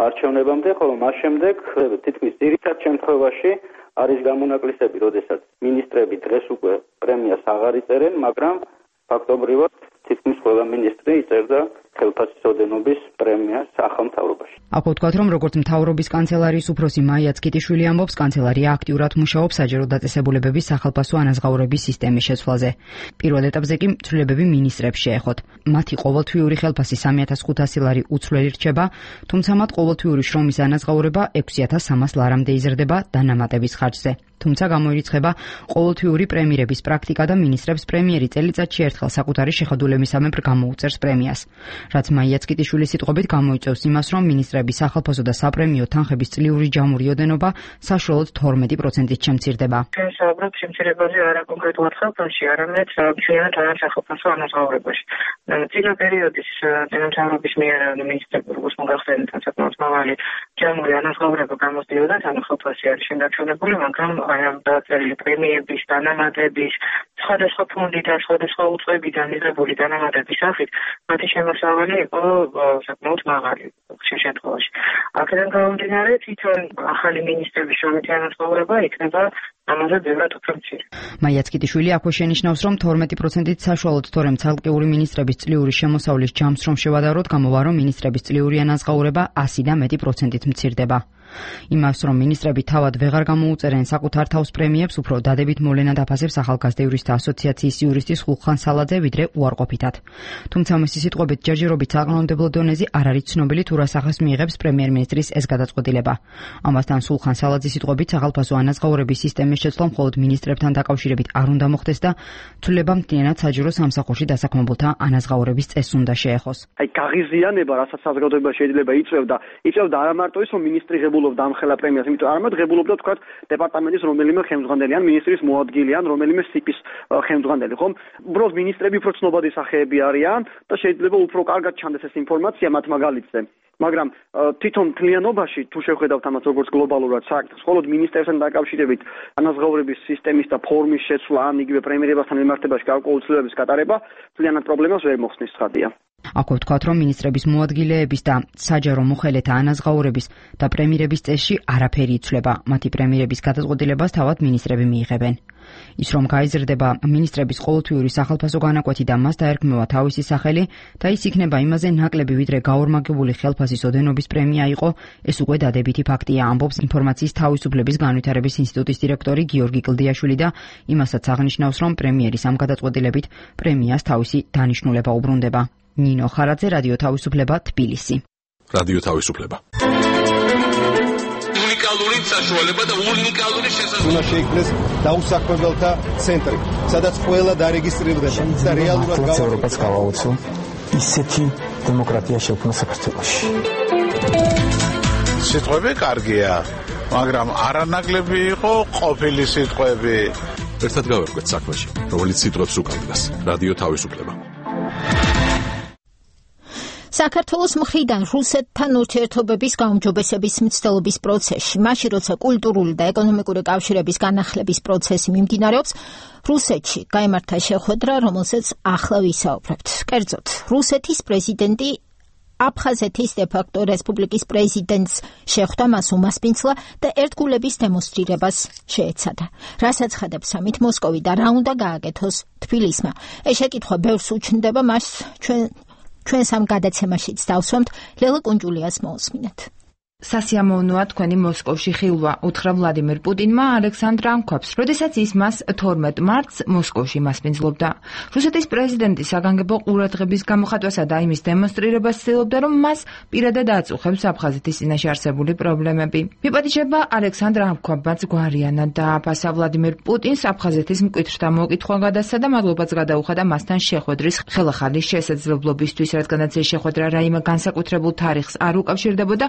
არჩევნებამდე, ხოლო მას შემდეგ თითქმის ძირითად შემთხვევაში არის გამონაკლისები, როდესაც მინისტრები დღეს უკვე პრემიას აღარ იწერენ, მაგრამ ფაქტობრივად თითქმის ყველა მინისტრი იწერდა ხელფასის ოდენობის პრემიას ახალ მთავრობაში. აქვე ვთქვათ, რომ როგორც მთავრობის კანცელარიის უფროსი მაია ცკიტიშვილი ამბობს, კანცელარია აქტიურად მუშაობს საჯარო დაწესებულებების სახალხო ანაზღაურების სისტემის შეცვლაზე. პირველ ეტაპზე კი ცვლილებები მინისტრებს შეეხოთ. მათი ყოველთვიური ხელფასი 3500 ლარი უცვლელი რჩება, თუმცა მათ ყოველთვიური შრომის ანაზღაურება 6300 ლარამდე იზრდება დანამატების ხარჯზე. თუმცა გამოირიცხება ყოველთვიური პრემიერების პრაქტიკა და მინისტრებს პრემიერი წელიწადში ერთხელ საკუთარი შეხედულებისამებრ გამოუწერს პრემიას. რაც მაია ცკიტიშვილის სიტყვებით გამოიწვევს იმას, რომ მინისტრების სახალხო და საპრემიო თანხების წლიური ჯამური ოდენობა საშუალოდ 12%-ით შემცირდება. ჩვენ საუბრობთ შემცირებაზე არა კონკრეტულად ხელფასში, არამედ მთლიანად სახალხო ანაზღაურებაში. წინა პერიოდის თანამშრომლობის მიერ მინისტრები როგორც მოგახსენეთ, საკმაოდ მაღალი ჯამური ანაზღაურება გამოსდიოდა, ანუ ხელფასი არის შემდაჩვენებული, მაგრამ ამ დაწერილი პრემიების, დანამატების, სხვადასხვა ფონდიდან, სხვადასხვა უწყებიდან მიღებული დანამატების სახით მათი შემოსავალი იყო საკმაოდ მაღალი ხშირ შემთხვევაში. აქედან გამომდინარე, თვითონ ახალი მინისტრების შრომითი ანაზღაურება იქნება ამაზე ბევრად უფრო მცირე. მაია ცკიტიშვილი აქვე შენიშნავს, რომ 12%-ით საშუალოდ თორემ ცალკეული მინისტრების წლიური შემოსავლის ჯამს რომ შევადაროთ, გამოვა, რომ მინისტრების წლიური ანაზღაურება 100 და მეტი პროცენტით მცირდება. იმას, რომ მინისტრები თავად ვეღარ გამოუწერენ საკუთარ თავს პრემიებს, უფრო დადებით მოვლენად აფასებს ახალგაზრდა იურისტთა ასოციაციის იურისტი სულხან სალაძე, ვიდრე უარყოფითად. თუმცა მისი სიტყვებით ჯერჯერობით საკანონმდებლო დონეზე არ არის ცნობილი თუ რა სახეს მიიღებს პრემიერ-მინისტრის ეს გადაწყვეტილება. ამასთან სულხან სალაძის სიტყვებით სახალხო ანაზღაურების სისტემის შეცვლა მხოლოდ მინისტრებთან დაკავშირებით არ უნდა მოხდეს და ცვლილება მთლიანად საჯარო სამსახურში დასაქმებულთა ანაზღაურების წესს უნდა შეეხოს. გაღიზიანება, რასაც საზოგადოება შეიძლება იწევდა არა მარტო ის, რომ მინისტრი ღებულობდა ამ ხელა პრემიას, იმიტომ არამედ ღებულობდა თქვა დეპარტამენტის რომელიმე ხელმძღვანელი ან მინისტრის მოადგილე ან რომელიმე სიპის ხელმძღვანელი, ხომ? უბრალოდ მინისტრები უფრო ცნობადი სახეები არიან და შეიძლება უფრო კარგად ჩანდეს ეს ინფორმაცია მათ მაგალითზე. მაგრამ თვითონ მთლიანობაში თუ შევხედავთ ამას როგორც გლობალურად საქმეს, მხოლოდ მინისტრებთან დაკავშირებით ანაზღაურების სისტემის და ფორმის შეცვლა ან იგივე პრემიერებასთან მიმართებაში გარკვეული ცვლილებების გატარება მთლიანად პრობლემას ვერ მოხსნის ცხადია. აქვე ვთქვათ, რომ მინისტრების მოადგილეების და საჯარო მოხელეთა ანაზღაურების და პრემიერების წესში არაფერი იცვლება. მათი პრემიერების გადაწყვეტილებას თავად მინისტრები მიიღებენ. ის რომ გაიზრდება მინისტრების ყოველთვიური სახალხო განაკვეთი და მას დაერქმევა თავისი სახელი და ის იქნება იმაზე ნაკლები, ვიდრე გაორმაგებული ხელფასის ოდენობის პრემია იყო, ეს უკვე დადებითი ფაქტია, ამბობს ინფორმაციის თავისუფლების განვითარების ინსტიტუტის დირექტორი გიორგი კლდიაშვილი და იმასაც აღნიშნავს, რომ პრემიერის ამ გადაწყვეტილებით პრემიას თავისი დანიშნულება უბრუნდება. ნინო ხარაძე, რადიო თავისუფლება, თბილისი. რადიო თავისუფლება. უნიკალური საშუალება და უნიკალური შესაძლებლობა. უნდა შეიქმნეს დაუსაქმებელთა ცენტრი, სადაც ყველა დარეგისტრირდება და რეალურად ევროპას გავაუწო ისეთი დემოკრატია შექმნა საქართველოში. სიტყვები კარგია, მაგრამ არანაკლები იყო ყოფილი სიტყვები. ერთად გავერკვეთ საქმეში, რომელიც სიტყვებს უკავშირდება. რადიო თავისუფლება. საქართველოს მხრიდან რუსეთთან ურთიერთობების გაუმჯობესების მცდელობის პროცესში, მაშინ როცა კულტურული და ეკონომიკური კავშირების განახლების პროცესი მიმდინარეობს, რუსეთში გაიმართა შეხვედრა, რომელზეც ახლა ვისაუბრებთ. კერძოდ, რუსეთის პრეზიდენტი აფხაზეთის დე-ფაქტო რესპუბლიკის პრეზიდენტს შეხვდა, მას უმასპინძლა და ერთგულების დემონსტრირებას შეეცადა. რასაც ხადებს ამით მოსკოვი და რა უნდა გააკეთოს თბილისმა. ეს შეკითხვა ბევრს უჩნდება, მას ჩვენს ამ გადაცემაშიც დავსვამთ. ლელა კუნჯულიას მოусმინეთ. სასიამოვნოა თქვენი მოსკოვში ხილვა, უთხრა ვლადიმერ პუტინმა ალექსანდრ ანქვაბს, როდესაც ის მას 12 მარტს მოსკოვში მასპინძლობდა. რუსეთის პრეზიდენტი საგანგებო ყურადღების გამოხატვასა და იმის დემონსტრირებას ცდილობდა, რომ მას პირადად აწუხებს აფხაზეთის წინაშე არსებული პრობლემები. მიპატიჟება ალექსანდრ ანქვაბმაც გვარიანად დააფასა ვლადიმერ პუტინს აფხაზეთის მკვეთრთა მოკითხვა გადასცა და მადლობაც გადაუხადა მასთან შეხვედრის ხელახალი შესაძლებლობისთვის, რადგანაც ეს შეხვედრა რაიმე განსაკუთრებულ თარიღს არ უკავშირდებოდა,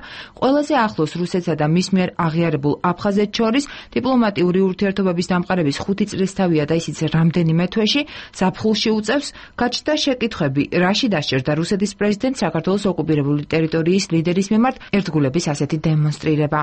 ყველაზე ახლოს რუსეთსა და მის მიერ აღიარებულ აფხაზეთს შორის დიპლომატიური ურთიერთობების დამყარების 5 წლისთავია და ისიც რამდენიმე თვეში ზაფხულში უწევს. გაჩნდა შეკითხვები, რაში დასჭირდა რუსეთის პრეზიდენტს საქართველოს ოკუპირებული ტერიტორიის ლიდერის მიმართ ერთგულების ასეთი დემონსტრირება.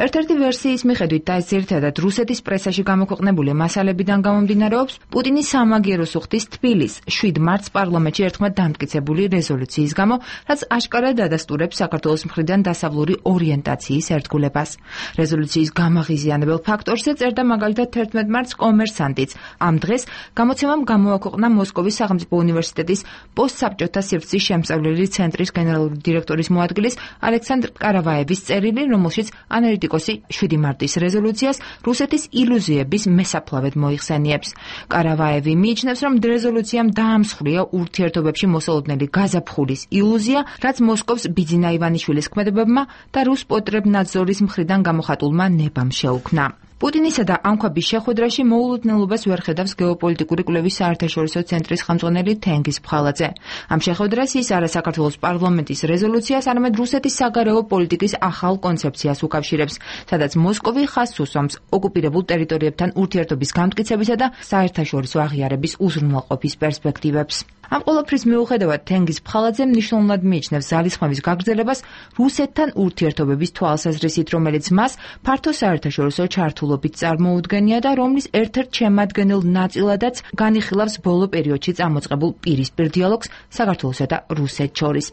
ერთ-ერთი ვერსიის მიხედვით და ეს ერთადად რუსეთის პრესაში გამოქვეყნებული მასალებიდან გამომდინარეობს, პუტინის სამაგიეროს უხდის თბილის 7 მარტს პარლამენტში ერთხმად დამტკიცებული რეზოლუციის გამო, რაც აშკარად ადასტურებს საქართველოს მხრიდან დასავლური ორიენტაციის ერთგულებას. რეზოლუციის გამაღიზიანებელ ფაქტორზე წერდა მაგალითად 11 მარტს კომერსანტიც. ამ დღეს გამოცემამ გამოაქვეყნა მოსკოვის სახელმწიფო უნივერსიტეტის პოსტსაბჭოთა სივრცის შემსწავლელი ცენტრის გენერალური დირექტორის მოადგილის ალექსანდრ კარავაევის წერილი, რომელშიც ანალიტიკოსი 7 მარტის რეზოლუციას რუსეთის ილუზიების მესაფლავედ მოიხსენიებს. კარავაევი მიიჩნევს, რომ რეზოლუციამ დაამსხვრია ურთიერთობებში მოსალოდნელი გაზაფხულის ილუზია, რაც მოსკოვს ბიძინა ივანიშვილის ქმედებებმა და რუს პოტრებნაძორის მხრიდან გამოხატულმა ნებამ შეუქმნა. პუტინისა და ანქვაბის შეხვედრაში მოულოდნელობას ვერ ხედავს გეოპოლიტიკური კვლევის საერთაშორისო ცენტრის ხელმძღვანელი თენგიზ ფხალაძე. ამ შეხვედრას ის არა საქართველოს პარლამენტის რეზოლუციას, არამედ რუსეთის საგარეო პოლიტიკის ახალ კონცეფციას უკავშირებს, სადაც მოსკოვი ხაზს უსვამს ოკუპირებულ ტერიტორიებთან ურთიერთობის განმტკიცებისა და საერთაშორისო აღიარების უზრუნველყოფის პერსპექტივებს. ამ ყველაფრის მიუხედავად თენგიზ ფხალაძე მნიშვნელოვნად მიიჩნევს ძალისხმევის გაგრძელებას რუსეთთან ურთიერთობების თვალსაზრისით, რომელიც მას ფართო საერთაშორისო ჩართულობით წარმოუდგენია და რომლის ერთ-ერთ შემადგენელ ნაწილადაც განიხილავს ბოლო პერიოდში წამოწყებულ პირისპირ დიალოგს საქართველოსა და რუსეთს შორის.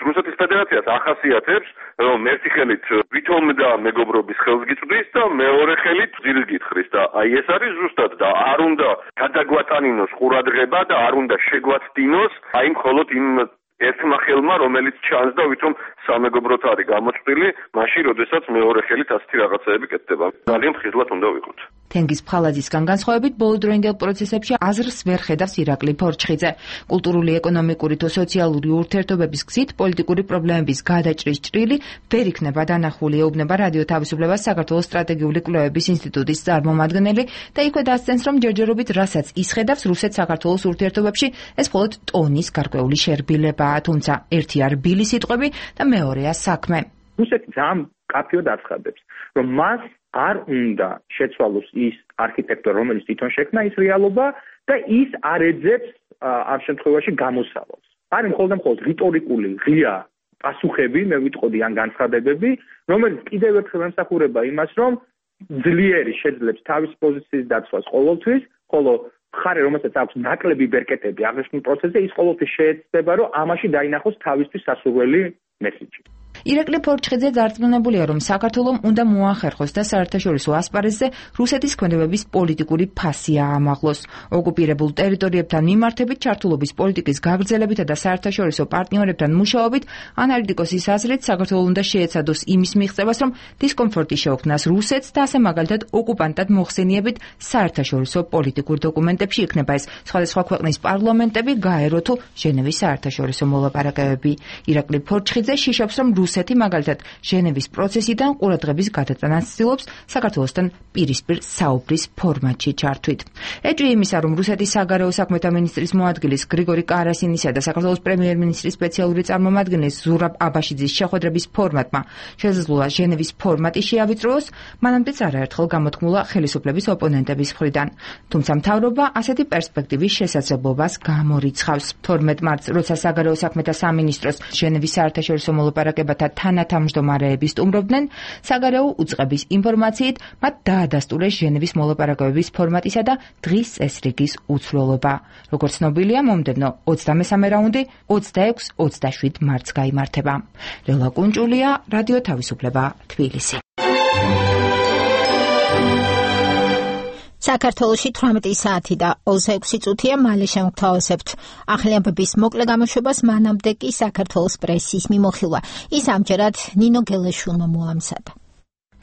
რუსეთის ფედერაციას ახასიათებს, რომ ერთი ხელით ვითომ და მეგობრობის ხელს გიწვდის და მეორე ხელით ძილს გითხრის და აი ეს არის ზუსტად და არ უნდა გადაგვატანინოს ყურადღება და არ უნდა შეგვაცდინოს აი მხოლოდ იმ ერთმა ხელმა, რომელიც ჩანს და ვითომ სამეგობროთ არის გამოწვილი, მაშინ როდესაც მეორე ხელით ასეთი რაღაცეები კეთდება. ძალიან ხიზლად უნდა ვიყოთ. თენგიზ ფხალაძისგან განსხვავებით, ბოლოდროინდელ პროცესებში აზრს ვერ ხედავს ირაკლი ფორჩხიძე. კულტურული, ეკონომიკური თუ სოციალური ურთიერთობების გზით პოლიტიკური პრობლემების გადაჭრის ჭრილი ვერ იქნება დანახული, ეუბნება რადიო თავისუფლებას საქართველოს სტრატეგიული კვლევების ინსტიტუტის წარმომადგენელი და იქვე დასცენს, რომ ჯერჯერობით რასაც ისხედავს რუსეთ-საქართველოს ურთიერთობებში, ეს მხოლოდ ტონის გარკვეული შერბილებაა, თუმცა ერთია რბილი სიტყვები და მეორეა საქმე. რუსეთი ძალიან კაფეოდ აცხადებს, რომ მას არ უნდა შეცვალოს ის არქიტექტურა, რომელიც თვითონ შექმნა ის რეალობა და ის არ ეძებს ამ შემთხვევაში გამოსავალს. არის მხოლოდ რიტორიკული ღია პასუხები, მე ვიტყოდი ან განცხადებები, რომელიც კიდევ ერთხელ ემსახურება იმას, რომ ძლიერი შეძლებს თავის პოზიციის დაცვას ყოველთვის, ხოლო მხარე, რომელსაც აქვს ნაკლები ბერკეტები აღნიშნულ პროცესზე, ის ყოველთვის შეეცდება, რომ ამაში დაინახოს თავისთვის სასურველი მესიჯი. ირაკლი ფორჩხიძე ძარცმუნებულია, რომ საქართველომ უნდა მოახერხოს და საერთაშორისო ასპარეზზე რუსეთის ქმედებების პოლიტიკური ფასი აამაღლოს. ოკუპირებულ ტერიტორიებთან მიმართებით ჩართულობის პოლიტიკის გაგრძელებითა და საერთაშორისო პარტნიორებთან მუშაობით ანალიტიკოსის აზრით საქართველოს უნდა შეეცადოს იმის მიღწევას, რომ დისკომფორტი შეუქმნას რუსეთს და ასე მაგალითად ოკუპანტად მოხსენიებით საერთაშორისო პოლიტიკურ დოკუმენტებში იქნება ეს სხვადასხვა ქვეყნის პარლამენტები, გაერო თუ ჟენევის საერთაშორისო მოლაპარაკებები. ირაკლი ფორჩხიძე შიშობს, რომ რუსეთი მაგალითად ჟენევის პროცესიდან ყურადღების გადატანას ცდილობს საქართველოსთან პირისპირ საუბრის ფორმატში ჩართვით. ეჭვი იმისა, რომ რუსეთის საგარეო საქმეთა მინისტრის მოადგილის გრიგორი კარასინისა და საქართველოს პრემიერ-მინისტრის სპეციალური წარმომადგენლის ზურაბ აბაშიძის შეხვედრების ფორმატმა შესაძლოა ჟენევის ფორმატი შეავიწროოს, მანამდეც არაერთხელ გამოთქმულა ხელისუფლების ოპონენტების მხრიდან. თუმცა მთავრობა ასეთი პერსპექტივის შესაძლებლობას გამორიცხავს. 12 მარტს, როცა საგარეო საქმეთა სამინისტროს ჟენევის საერთაშორისო მოლაპარაკებათა თანათავმჯდომარეები სტუმრობდნენ, საგარეო უწყების ინფორმაციით მათ დაადასტურეს ჟენევის მოლაპარაკებების ფორმატისა და დღის წესრიგის უცვლელობა. როგორც ცნობილია, მომდევნო 23 რაუნდი 26-27 მარტს გაიმართება. ლელა კუნჭულია, რადიო თავისუფლება, თბილისი. საქართველოში 18 საათი და 26 წუთია, მალე შევთავაზებთ ახალამბების მოკლე გამოშვებას, მანამდე კი საქართველოს პრესის მიმოხილვა. ის ამჯერად ნინო გელეშვილმა მოამზადა.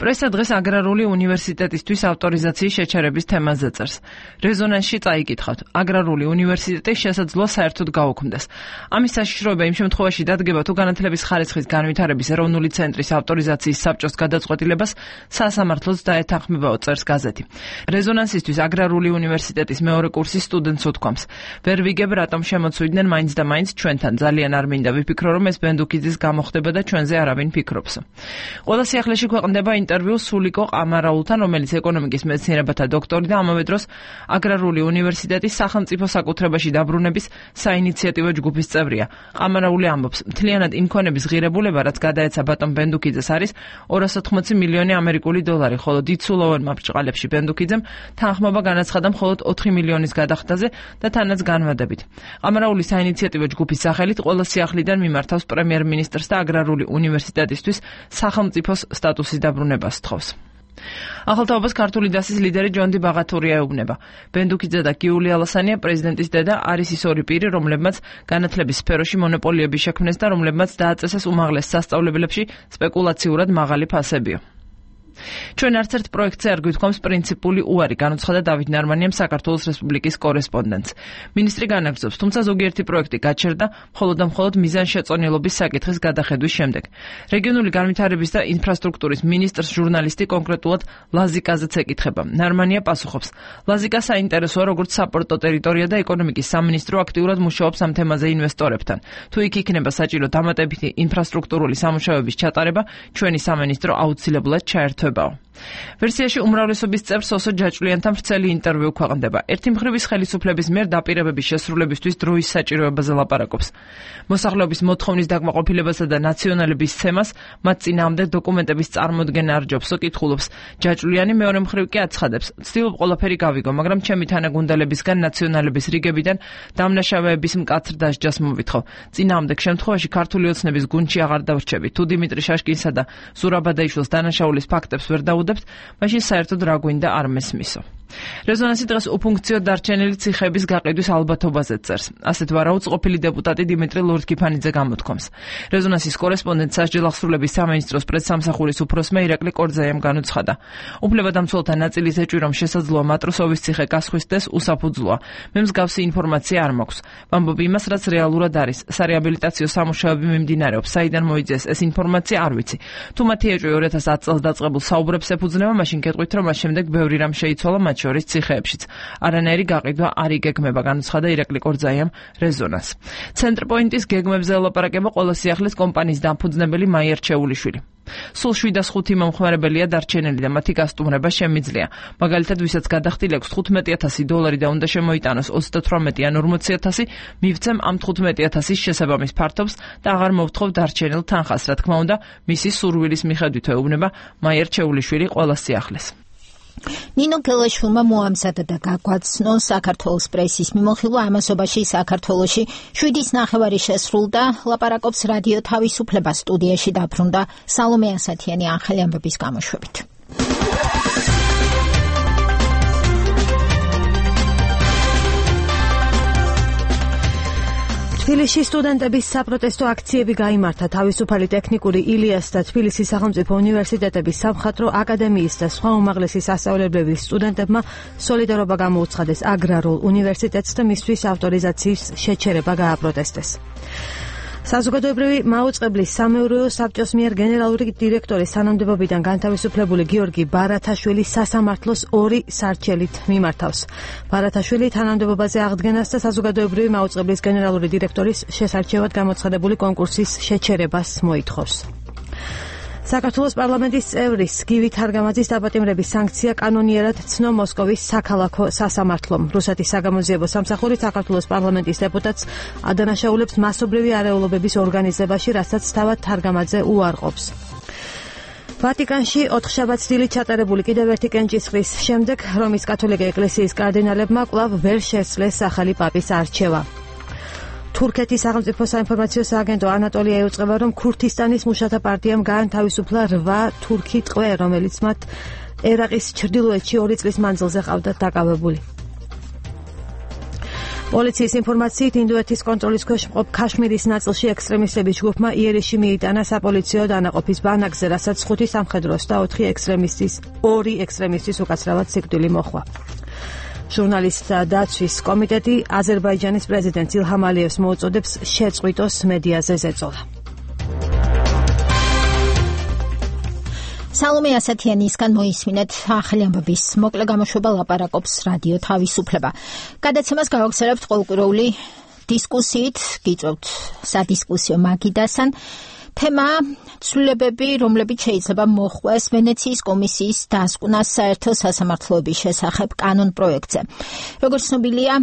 პრესა დღეს აგრარული უნივერსიტეტისთვის ავტორიზაციის შეჩერების თემაზე წერს. რეზონანსში წაიკითხავთ, აგრარული უნივერსიტეტი შესაძლოა საერთოდ გაუქმდეს. ამის საშიშროება იმ შემთხვევაში დადგება, თუ განათლების ხარისხის განვითარების ეროვნული ცენტრის ავტორიზაციის საბჭოს გადაწყვეტილებას სასამართლოც დაეთანხმებაო, წერს გაზეთი. რეზონანსისთვის აგრარული უნივერსიტეტის მეორე კურსის სტუდენტს უთქვამს: ვერ ვიგებ, რატომ შემოცვიდნენ მაინც და მაინც ჩვენთან. ძალიან არ მინდა ვიფიქრო, რომ ეს ბენდუქიძის გამოხდება და ჩვენზე არავინ ფიქრობს. ყველა სიახლეში ქვეყნდება ინტერვიუ სულიკო ყამარაულთან, რომელიც ეკონომიკის მეცნიერებათა დოქტორი და ამავე დროს აგრარული უნივერსიტეტის სახელმწიფო საკუთრებაში დაბრუნების საინიციატივო ჯგუფის წევრია. ყამარაული ამბობს, მთლიანად იმ ქონების ღირებულება, რაც გადაეცა ბატონ ბენდუქიძეს, არის 280 მილიონი ამერიკული დოლარი, ხოლო დიდსულოვანმა ბრჭყალებში ბენდუქიძემ თანხმობა განაცხადა მხოლოდ 4 მილიონის გადახდაზე და თანაც განვადებით. ყამარაული საინიციატივო ჯგუფის სახელით ყველა სიახლიდან მიმართავს პრემიერ-მინისტრს და აგრარული უნივერსიტეტისთვის სახელმწიფოს სტატუსის დაბრუნებას თხოვს. ახალთაობას ქართული დასის ლიდერი ჯონდი ბაღათურია ეუბნება. ბენდუქიძე და გიული ალასანია პრეზიდენტის დედა არის ის ორი პირი, რომლებმაც განათლების სფეროში მონოპოლიები შექმნეს და რომლებმაც დააწესეს უმაღლეს სასწავლებლებში სპეკულაციურად მაღალი ფასებიო. ჩვენ არც ერთ პროექტზე არ გვითქვამს პრინციპული უარი, განუცხადა დავით ნარმანიამ საქართველოს რესპუბლიკის კორესპონდენტს. მინისტრი განაგრძობს, თუმცა ზოგიერთი პროექტი გაჩერდა მხოლოდ და მხოლოდ მიზანშეწონილობის საკითხის გადახედვის შემდეგ. რეგიონული განვითარების და ინფრასტრუქტურის მინისტრს ჟურნალისტი კონკრეტულად ლაზიკაზეც ეკითხება. ნარმანია პასუხობს: ლაზიკა საინტერესოა როგორც საპორტო ტერიტორია და ეკონომიკის სამინისტრო აქტიურად მუშაობს ამ თემაზე ინვესტორებთან. თუ იქ იქნება საჭირო დამატებითი ინფრასტრუქტურული სამუშაოების ჩატარება, ჩვენი სამინისტრო აუცილებლად ჩაერთვება. ვერსიაში უმრავლესობის წევრს ოსო ჯაჭვლიანთან ვრცელი ინტერვიუ ქვეყნდება. ერთი მხრივის ხელისუფლების მიერ დაპირებების შესრულებისთვის დროის საჭიროებაზე ლაპარაკობს. მოსახლეობის მოთხოვნის დაკმაყოფილებასა და ნაციონალების ცემას მათ წინააღმდეგ დოკუმენტების წარმოდგენა არჯობსო, კითხულობს ჯაჭვლიანი. მეორე მხრივ კი აცხადებს: ვცდილობ ყველაფერი გავიგო, მაგრამ ჩემი თანაგუნდელებისგან ნაციონალების რიგებიდან დამნაშავეების მკაცრ დასჯას მოვითხოვ. წინააღმდეგ შემთხვევაში ქართული ოცნების გუნდში აღარ დავრჩები. თუ დიმიტრი შაშკინსა და ზურაბ ადაიშვილს დანაშაულის ფაქტებს ვერ დაუდებთ, მაშინ საერთოდ რა გვინდა არ მესმისო. რეზონანსი დღეს უფუნქციო დარჩენილი ციხეების გაყიდვის ალბათობაზე წერს. ასეთ ვარაუწყყოფილი დეპუტატი დიმიტრი ლორთქიფანიძე გამოთქვამს. რეზონანსის კორესპონდენტ სასჯელ აღსრულების სამინისტროს პრესსამსახურის უფროსმა ირაკლი კორძაიამ განუცხადა. უფლებადამცველთა ნაწილის ეჭვი, რომ შესაძლოა მატროსოვის ციხე გასხვისდეს, უსაფუძვლოა. მე მსგავსი ინფორმაცია არ მაქვს. ვამბობ იმას, რაც რეალურად არის. სარეაბილიტაციო სამუშაოები მიმდინარეობს. საიდან მოიძიეს ეს ინფორმაცია არ ვიცი. თუ მათი ეჭვი 2010 წელს დაწყებულ საუბრებს ეფუძნება, მაშინ გეტყვით, რომ მას შემდეგ ბევრი რამ შეიცვალა, მათ შორის ციხეებშიც. არანაირი გაყიდვა არ იგეგმება, განუცხადა ირაკლი კორძაიამ რეზონანსს. ცენტრპოინტის გეგმებზე ელაპარაკება ყველა სიახლის კომპანიის დამფუძნებელი მაია რჩეულიშვილი. სულ 705 მომხმარებელია დარჩენილი და მათი გასტუმრება შემიძლია. მაგალითად, ვისაც გადახდილი აქვს $15,000 და უნდა შემოიტანოს 38 ან 40,000, მივცემ ამ 15,000-ის შესაბამის ფართობს და აღარ მოვთხოვ დარჩენილ თანხას, რა თქმა უნდა, მისი სურვილის მიხედვით ეუბნება მაია რჩეულიშვილი ყველა სიახლეს. ნინო გელაშვილმა მოამზადა და გაგვაცნო საქართველოს პრესის მიმოხილვა ამასობაში საქართველოში 7:09 შესრულდა. ლაპარაკობს რადიო თავისუფლება, სტუდიაში დაბრუნდა სალომე ასათიანი ახალი ამბების გამოშვებით. თბილისში სტუდენტების საპროტესტო აქციები გაიმართა. თავისუფალი ტექნიკური ილიას და თბილისის სახელმწიფო უნივერსიტეტების სამხატვრო აკადემიის და სხვა უმაღლესი სასწავლებლების სტუდენტებმა სოლიდარობა გამოუცხადეს აგრარულ უნივერსიტეტს და მისთვის ავტორიზაციის შეჩერება გააპროტესტეს. საზოგადოებრივი მაუწყებლის სამეურვეო საბჭოს მიერ გენერალური დირექტორის თანამდებობიდან განთავისუფლებული გიორგი ბარათაშვილი სასამართლოს 2 სარჩელით მიმართავს. ბარათაშვილი თანამდებობაზე აღდგენას და საზოგადოებრივი მაუწყებლის გენერალური დირექტორის შესარჩევად გამოცხადებული კონკურსის შეჩერებას მოითხოვს. საქართველოს პარლამენტის წევრის გივი თარგამაძის დაპატიმრების სანქცია კანონიერად ცნო მოსკოვის საქალაქო სასამართლომ. რუსეთის საგამოძიებო სამსახური საქართველოს პარლამენტის დეპუტატს ადანაშაულებს მასობრივი არეულობების ორგანიზებაში, რასაც თავად თარგამაძე უარყოფს. ვატიკანში 4 შაბათს ჩატარებული კიდევ ერთი კენჭისყრის შემდეგ რომის კათოლიკე ეკლესიის კარდინალებმა კვლავ ვერ შესძლეს ახალი პაპის არჩევა. თურქეთის სახელმწიფო საინფორმაციო სააგენტო ანატოლია ეუწყება, რომ ქურთისტანის მუშათა პარტიამ გაანთავისუფლა 8 თურქი ტყვე, რომელიც მათ ერაყის ჩრდილოეთში 2 წლის მანძილზე ყავდათ დაკავებული. პოლიციის ინფორმაციით, ინდოეთის კონტროლის ქვეშ მყოფ ქაშმირის ნაწილში ექსტრემისტების ჯგუფმა იერიში მიიტანა საპოლიციო დანაყოფის ბანაკზე, რასაც 5 სამხედროს და 2 ექსტრემისტის უკაცრავად სიკვდილი მოჰყვა. ჟურნალისტთა დაცვის კომიტეტი აზერბაიჯანის პრეზიდენტ ილჰამ ალიევს მოუწოდებს შეწყვიტოს მედიაზე ზეწოლა. სალომე ასათიანისგან მოისმინეთ ახალი ამბების მოკლე გამოშვება ლაპარაკობს რადიო თავისუფლება. გადაცემას გავაგზავნებთ ყოველკვირეული დისკუსიით, გიწევთ სადისკუსიო მაგიდასთან. თემა ცვლილებები, რომლებიც შეიძლება მოხდეს ვენეციის კომისიის დასკვნას საერთო სასამართლოების შესახებ კანონ პროექტზე. როგორც ცნობილია,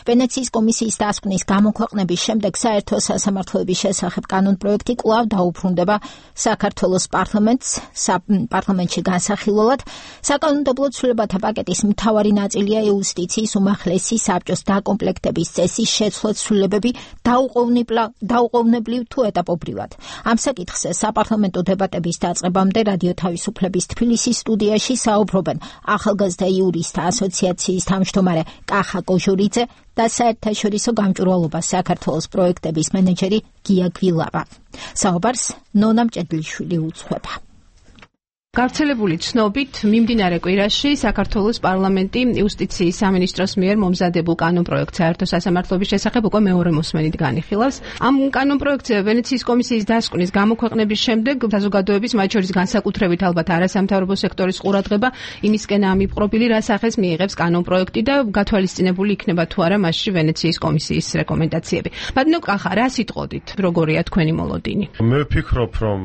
ვენეციის კომისიის დასკვნის გამოქვეყნების შემდეგ საერთო სასამართლოების შესახებ კანონ პროექტი კვლავ დაუბრუნდება საქართველოს პარლამენტში განსახილველად. საკანონმდებლო ცვლილებათა პაკეტის მთავარი ნაწილია იუსტიციის უმაღლესი საბჭოს დაკომპლექტების წესის შეცვლა ცვლილებები დაუყოვნებლივ თუ ეტაპობრივად. ამ საკითხზე საპარლამენტო დებატების დაწყებამდე რადიო თავისუფლების თბილისის სტუდიაში საუბრობენ ახალგაზრდა იურისტთა ასოციაციის თავმჯდომარე კახა კოჟურიძე და საერთაშორისო გამჭვირვალობას საქართველოს პროექტების მენეჯერი გია გვილავა. საუბარს ნონა მჭედლიშვილი უძღვება. გავრცელებული ცნობით, მიმდინარე კვირაში საქართველოს პარლამენტი იუსტიციის სამინისტროს მიერ მომზადებულ კანონპროექტს საერთო სასამართლოების შესახებ უკვე მეორე მოსმენით განიხილავს. ამ კანონპროექტზე ვენეციის კომისიის დასკვნის გამოქვეყნების შემდეგ საზოგადოების, მათ შორის განსაკუთრებით ალბათ არასამთავრობო სექტორის ყურადღება იმისკენაა მიპყრობილი, რა სახეს მიიღებს კანონპროექტი და გათვალისწინებული იქნება თუ არა მასში ვენეციის კომისიის რეკომენდაციები. ბატონო კახა, რა სიტყოდით, როგორია თქვენი მოლოდინი? მე ვფიქრობ, რომ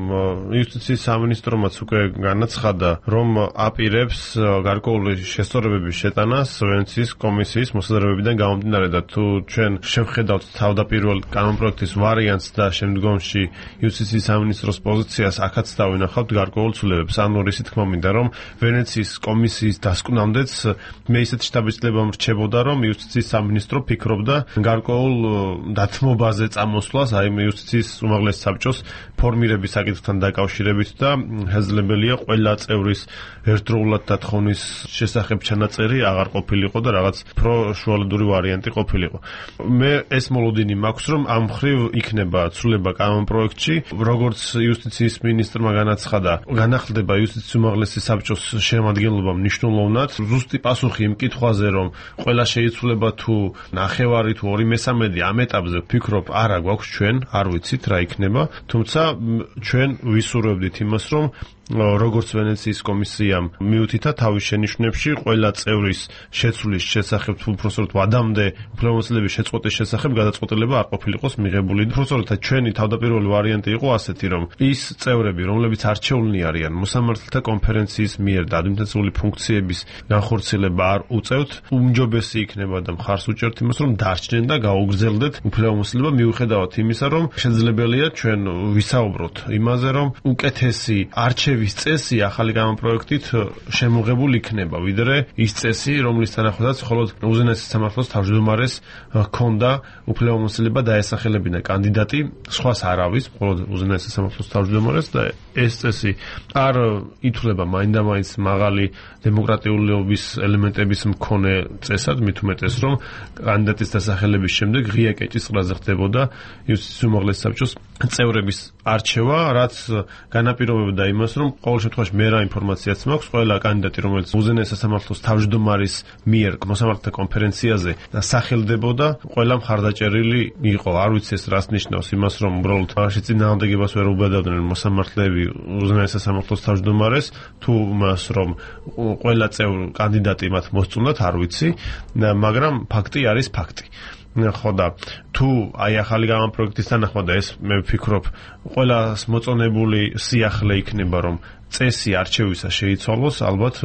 იუსტიციის სამინისტრომაც უკვე განაცხადა, რომ აპირებს გარკვეული შესწორებების შეტანას ვენეციის კომისიის მოსაზრებებიდან გამომდინარე და თუ ჩვენ შევხედავთ თავდაპირველ კანონპროექტის ვარიანტს და შემდგომში იუსტიციის სამინისტროს პოზიციას, აქაც დავინახავთ გარკვეულ ცვლილებებს. ანუ რისი თქმა მინდა, რომ ვენეციის კომისიის დასკვნამდეც მე ისეთ შთაბეჭდილება მრჩებოდა, რომ იუსტიციის სამინისტრო ფიქრობდა გარკვეულ დათმობაზე წამოსვლას, აი იუსტიციის უმაღლეს საბჭოს ფორმირების საკითხთან დაკავშირებით და შესაძლებელია ყველა წევრის ერთდროულად დათხოვნის შესახებ ჩანაწერი აღარ ყოფილიყო და რაღაც პროშუალედური ვარიანტი ყოფილიყო. მე ეს მოლოდინი მაქვს, რომ ამ მხრივ იქნება ცვლილება კანონპროექტში, როგორც იუსტიციის მინისტრმა განაცხადა, განახლდება იუსტიციის უმაღლესი საბჭოს შემადგენლობა მნიშვნელოვნად. ზუსტი პასუხი იმ კითხვაზე, რომ ყველა შეიცვლება თუ ნახევარი თუ 2/3 ამ ეტაპზე ვფიქრობ, არა გვაქვს ჩვენ, არ ვიცით რა იქნება, თუმცა ჩვენ ვისურვებდით იმას, რომ როგორც ვენეციის კომისიამ მიუთითა თავის შენიშვნებში ყველა წევრის შეცვლის შესახებ უბრალოდ ვადამდე უფლებამოსილების შეწყვეტის შესახებ გადაწყვეტილება არ ყოფილიყოს მიღებული. უბრალოდ ჩვენი თავდაპირველი ვარიანტი იყო ასეთი, რომ ის წევრები, რომლებიც არჩეულნი არიან მოსამართლეთა კონფერენციის მიერ და ადმინისტრაციული ფუნქციების განხორციელება არ უწევთ, უმჯობესი იქნება და მხარს უჭერთ იმას, რომ დარჩნენ და გაუგრძელდეთ უფლებამოსილება მიუხედავად იმისა, რომ შესაძლებელია ჩვენ ვისაუბროთ იმაზე, რომ უკეთესი არჩევის წესი ახალი კანონპროექტით შემოღებული იქნება, ვიდრე ის წესი, რომლის თანახმადაც მხოლოდ უზენაესი სამართლოს თავმჯდომარეს ჰქონდა უფლებამოსილება დაესახელებინა კანდიდატი, სხვას არავის, მხოლოდ უზენაესი სამართლოს თავმჯდომარეს და ეს წესი არ ითვლება მაინდამაინც მაღალი დემოკრატიულობის ელემენტების მქონე წესად, მით უმეტეს, რომ კანდიდატის დასახელების შემდეგ ღია კეჭისყრაზე ხდებოდა იუსტიციის უმაღლესი საბჭოს წევრების არჩევა, რაც განაპირობებდა იმას, რომ ყოველ შემთხვევაში მე რა ინფორმაციაც მაქვს, ყველა კანდიდატი, რომელიც უზენაესი სამართლოს თავმჯდომარის მიერ მოსამართლეთა კონფერენციაზე დასახელდებოდა, ყველა მხარდაჭერილი იყო. არ ვიცი ეს რას ნიშნავს, იმას, რომ უბრალოდ მაშინ წინააღმდეგებას ვერ უბედავდნენ მოსამართლეები უზენაესი სამართლოს თავმჯდომარეს, თუ მას რომ ყველა წევრი კანდიდატი მათ მოსწონდათ, არ ვიცი, მაგრამ ფაქტი არის ფაქტი. ხო და თუ აი ახალი კანონპროექტის თანახმად ეს მე ვფიქრობ ყველას მოწონებული სიახლე იქნება, რომ წესი არჩევისა შეიცვალოს, ალბათ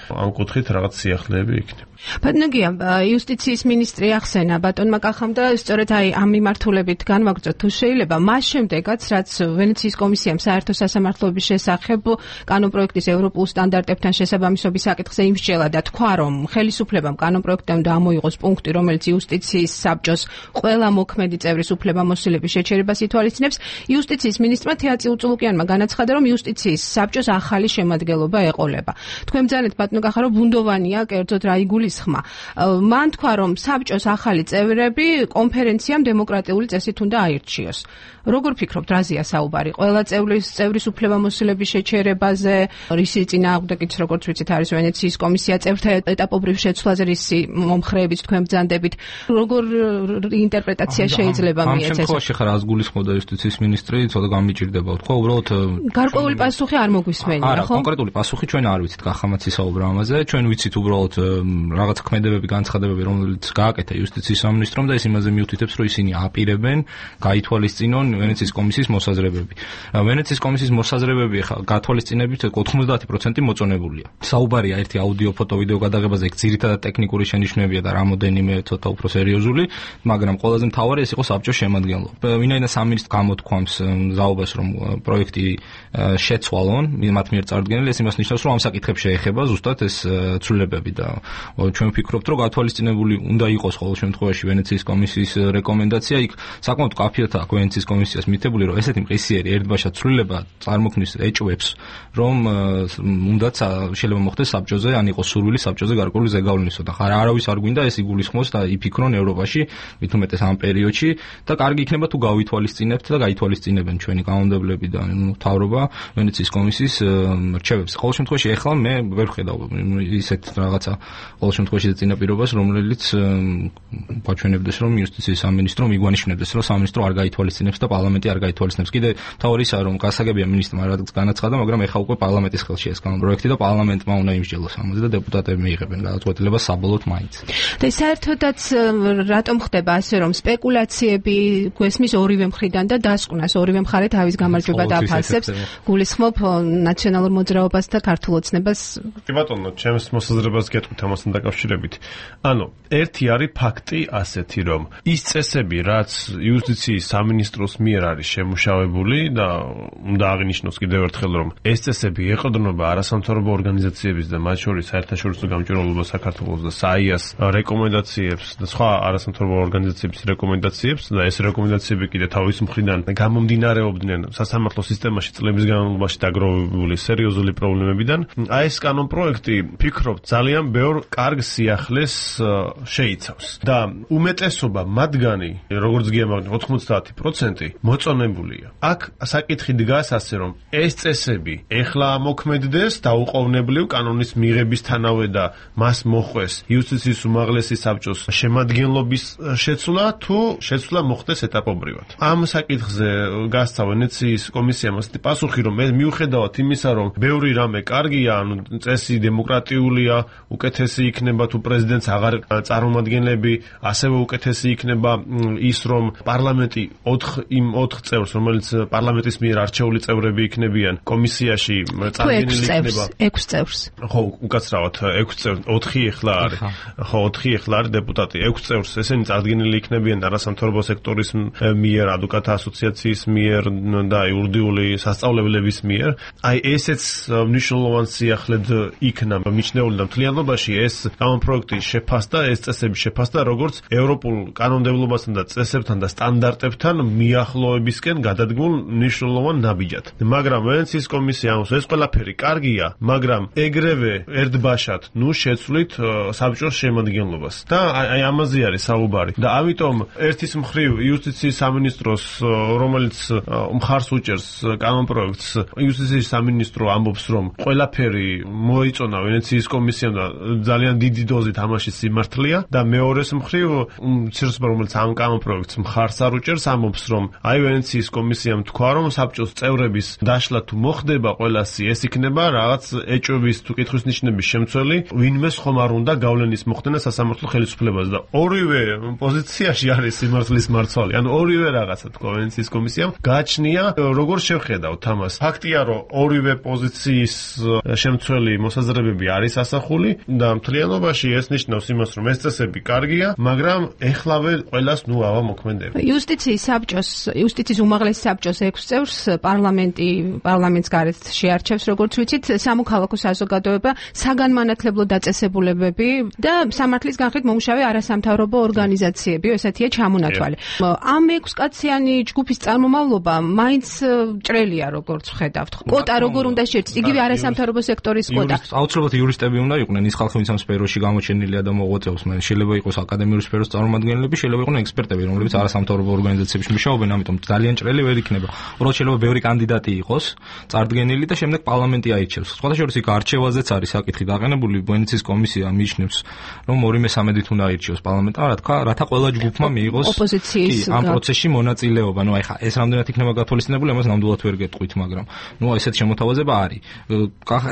ამ კუთხით რაღაც სიახლეები იქნება. ბატონგია, იუსტიციის მინისტრი ახსენა ბატონმა კახამ და სწორედ აი ამ მიმართულებით განვაგრძოთ თუ შეიძლება, მას შემდეგაც რაც ვენეციის კომისიამ საერთო სასამართლოების შესახებ კანონპროექტის ევროპულ სტანდარტებთან შესაბამისობის საკითხზე იმსჯელა და თქვა, რომ ხელისუფლებამ კანონპროექტიდან ამოიღოს პუნქტი, რომელიც იუსტიციის საბჭოს ყველა მოქმედი წევრის უფლებამოსილების შეჩერებას ითვალისწინებს. იუსტიციის მინისტრმა თეა წილუწულუკიანმა განაცხადა, რომ იუსტიციის საბჭოს ახალი შემადგენლობა ეყოლება. თქვენ ბრძანეთ ბატონო კახა, რომ ბუნდოვანია კერძოდ რა იგულისხმა. მან თქვა, რომ საბჭოს ახალი წევრები კონფერენციამ დემოკრატიული წესით უნდა აირჩიოს. როგორ ფიქრობთ, რაზეა საუბარი? ყველა წევრის უფლებამოსილების შეჩერებაზე, რისი წინააღმდეგიც, როგორც ვიცით, არის ვენეციის კომისია, წევრთა ეტაპობრივ შეცვლაზე, რისი მომხრეებით თქვენ ბრძანდებით, როგორ ინტერპრეტაცია შეიძლება მიეცეს? ამ შემთხვევაში ხარ ას გულისხმობდა იუსტიციის მინისტრი, ცოტა გამიჭირდება, თქვა უბრალოდ გარკვეული პასუხი არ მოგვისმენია, არა, ხო? კონკრეტული პასუხი ჩვენ არ ვიცით, კახამაც ისაუბრა ამაზე, ჩვენ ვიცით უბრალოდ რაღაც ქმედებები, განცხადებები, რომელიც გააკეთა იუსტიციის სამინისტრომ და ეს იმაზე მიუთითებს, რომ ისინი აპირებენ გაითვალისწინონ ვენეციის კომისიის მოსაზრებები. ვენეციის კომისიის მოსაზრებები ხა გათვალისწინებით 90% მოწონებულია. საუბარია ერთი აუდიო, ფოტო, ვიდეო გადაღებაზე, იქ ძირითადად ტექნიკური შენიშვნებია და რამოდენიმე ცოტა უფრო სერიოზული, მაგრამ ყველაზე მთავარი ეს იყო საბჭოს შემადგენლობა. ვინაიდან სამინისტრო გამოთქვამს მზაობას, რომ პროექტი შეცვალონ, მათ მიერ წარდგენილი, ეს იმას ნიშნავს, რომ ამ საკითხებს შეეხება ზუსტად ეს ცვლილებები და ჩვენ ვფიქრობთ, რომ გათვალისწინებული უნდა იყოს ყოველ შემთხვევაში ვენეციის კომისიის რეკომენდაცია. იქ საკმაოდ კაფიათ აქვს ვენეციის კომისიას მითებული, რომ ესეთი მყისიერი ერთბაშად ცვლილება წარმოქმნის ეჭვებს, რომ უნდაც შეიძლება მოხდეს საბჭოზე, ან იყოს სურვილი საბჭოზე გარკვეული ზეგავლენისა და არავის არ გვინდა ეს იგულისხმოს და იფიქრონ ევროპაში, მით უმეტეს ამ პერიოდში და კარგი იქნება თუ გავითვალისწინებთ და გაითვალისწინებენ ჩვენი კანონმდებლები და მთავრობა ვენეციის კომისიის რჩევებს. ყოველ შემთხვევაში ახლა მე ვერ ხედავ ისეთ რაღაცა ყოველ შემთხვევაში წინაპირობას, რომელიც გვაჩვენებდეს, რომ იუსტიციის სამინისტრო მიგვანიშნებდეს, რომ სამინისტრო არ გაითვალისწინებს და პარლამენტი არ გაითვალისწინებს. კიდე მთავარი ისაა, რომ გასაგებია მინისტრმა რაღაც განაცხადა, მაგრამ ახლა უკვე პარლამენტის ხელში ეს კანონპროექტი და პარლამენტმა უნდა იმსჯელოს ამაზე და დეპუტატები მიიღებენ გადაწყვეტილებას საბოლოოდ მაინც. და საერთოდაც რატომ ხდება ასე, რომ სპეკულაციები გვესმის ორივე მხრიდან და დასკვნას ორივე მხარე თავის გამარჯვება დაფასებს, გულისხმობ ნაციონალურ მოძრაობას და ქართულ ოცნებას? კი ბატონო, ჩემს მოსაზრებას გეტყვით ამასთან დაკავშირებით. ანუ ერთი არის ფაქტი ასეთი, რომ ის წესები, რაც იუსტიციის სამინისტროს მიერ არის შემუშავებული და უნდა აღინიშნოს კიდევ ერთხელ, რომ ეს წესები ეყრდნობა არასამთავრობო ორგანიზაციების და მათ შორის საერთაშორისო გამჭვირვალობა საქართველოს და საიას რეკომენდაციებს და სხვა არასამთავრობო ორგანიზაციების რეკომენდაციებს და ეს რეკომენდაციები კიდე თავის მხრიდან გამომდინარეობდნენ სასამართლო სისტემაში წლების განმავლობაში დაგროვებული განვითარებული სერიოზული პრობლემებიდან. Აი ეს კანონპროექტი, ფიქრობ, ძალიან ბევრ კარგ სიახლეს შეიცავს და უმეტესობა მათგანი, როგორც გიამავნე 90% მოწონებულია. აქ საკითხი დგას ასე, რომ ეს წესები ეხლა მოქმედდეს დაუყოვნებლივ კანონის მიღებისთანავე და მას მოხვეს იუსტიციის უმაღლესი საბჭოს შემადგენლობის შეცვლა თუ შეცვლა მოხდეს ეტაპობრივად. ამ საკითხზე გასცა ვენეციის კომისიამ ასეთი პასუხი, რომ მიუხედავად იმისა, რომ ბევრი რამე კარგია, ანუ წესი დემოკრატიულია, უკეთესი იქნება თუ პრეზიდენტს აღარ წარმომადგენლები, ასევე უკეთესი იქნება ის, რომ პარლამენტი 4 წევრს, რომელიც პარლამენტის მიერ არჩეული წევრები იქნებიან კომისიაში წარდგენილი იქნება 6 წევრს. ხო, უკაცრავად 6 წევრს, 4 ეხლა არის. ხო, 4 ეხლა არის დეპუტატი, 6 წევრს ესენი წარდგენილი იქნებიან არასამთავრობო სექტორის მიერ, ადვოკატთა ასოციაციის მიერ და იურიდიული სასწავლებლების მიერ. აი ესეც მნიშვნელოვანი სიახლედ იქნა მიჩნეული და მთლიანობაში ეს კანონპროექტი შეფასდა, ეს წესები შეფასდა როგორც ევროპულ კანონმდებლობასთან და წესებთან და სტანდარტებთან მიახლოებისკენ გადადგმულ მნიშვნელოვან ნაბიჯად. მაგრამ ვენეციის კომისია ამბობს, ეს ყველაფერი კარგია, მაგრამ ეგრევე ერთბაშად შეცვლით საბჭოს შემადგენლობას. და აი ამაზე არის საუბარი. და ამიტომ ერთის მხრივ იუსტიციის სამინისტროს, რომელიც მხარს უჭერს კანონპროექტს, იუსტიციის სამინისტრო ამბობს, რომ ყველაფერი მოიწონა ვენეციის კომისიამ და ძალიან დიდი დოზით ამაში სიმართლეა და მეორეს მხრივ ცირსპა, რომელიც ამ კანონპროექტს მხარს არ უჭერს, ამბობს, რომ აი ვენეციის კომისიამ თქვა, რომ საბჭოს წევრების დაშლა თუ მოხდება ყველასი, ეს იქნება რაღაც ეჭვების თუ კითხვის ნიშნების შემცველი, ვინმეს ხომ არ უნდა გავლენის მოხდენა სასამართლო ხელისუფლებას და ორივე პოზიციაში არის სიმართლის მარცვალი. ანუ ორივე რაღაცა თქვა ვენეციის კომისიამ, გააჩნია როგორ შევხედავთ ამას. ფაქტია, რომ ორივე პოზიციის შემცველი მოსაზრებები არის ასახული და მთლიანობაში ეს ნიშნავს იმას, რომ ეს წესები კარგია, მაგრამ ეხლავე ყველას ავა მოქმედებს. იუსტიციის უმაღლესი საბჭოს 6 წევრს პარლამენტს გარეთ შეარჩევს, როგორც ვიცით, სამოქალაქო საზოგადოება, საგანმანათლებლო დაწესებულებები და სამართლის განხრით მომუშავე არასამთავრობო ორგანიზაციები, ესეთია ჩამონათვალი. ამ 6 კაციანი ჯგუფის წარმომავლობა მაინც ჭრელია, როგორც ვხედავთ. კოტა როგორ უნდა შეერჩოს, იგივე არასამთავრობო სექტორის კოტა. აუცილებლად იურისტები უნდა იყვნენ, ის ხალხი, ვინც ამ სფეროში გამოჩენილია და მოღვაწეობს, შეიძლება იყოს აკადემიური სფეროს წარმომადგენლები, შეიძლება იყვნენ ექსპერტები, რომლებიც არასამთავრობო ორგანიზაციებში მუშაობენ, ამიტომ ძალიან ჭრელი ვერ იქნება. უბრალოდ შეიძლება ბევრი კანდიდატი იყოს წარდგენილი და შემდეგ პარლამენტი აირჩევს. სხვადასხვა იქ არჩევაზეც არის საკითხი დაყენებული, ვენეციის კომისია მიიჩნევს, რომ 2/3 უნდა აირჩიოს პარლამენტმა, რათა ყველა ჯგუფმა მიიღოს ამ პროცესში მონაწილეობა. ნუ აი ხა ეს რამდენად იქნება გათვალისწინებული, ამას ნამდვილად ვერ გეტყვით, მაგრამ ნუ ესეთ შემოთავაზება არის.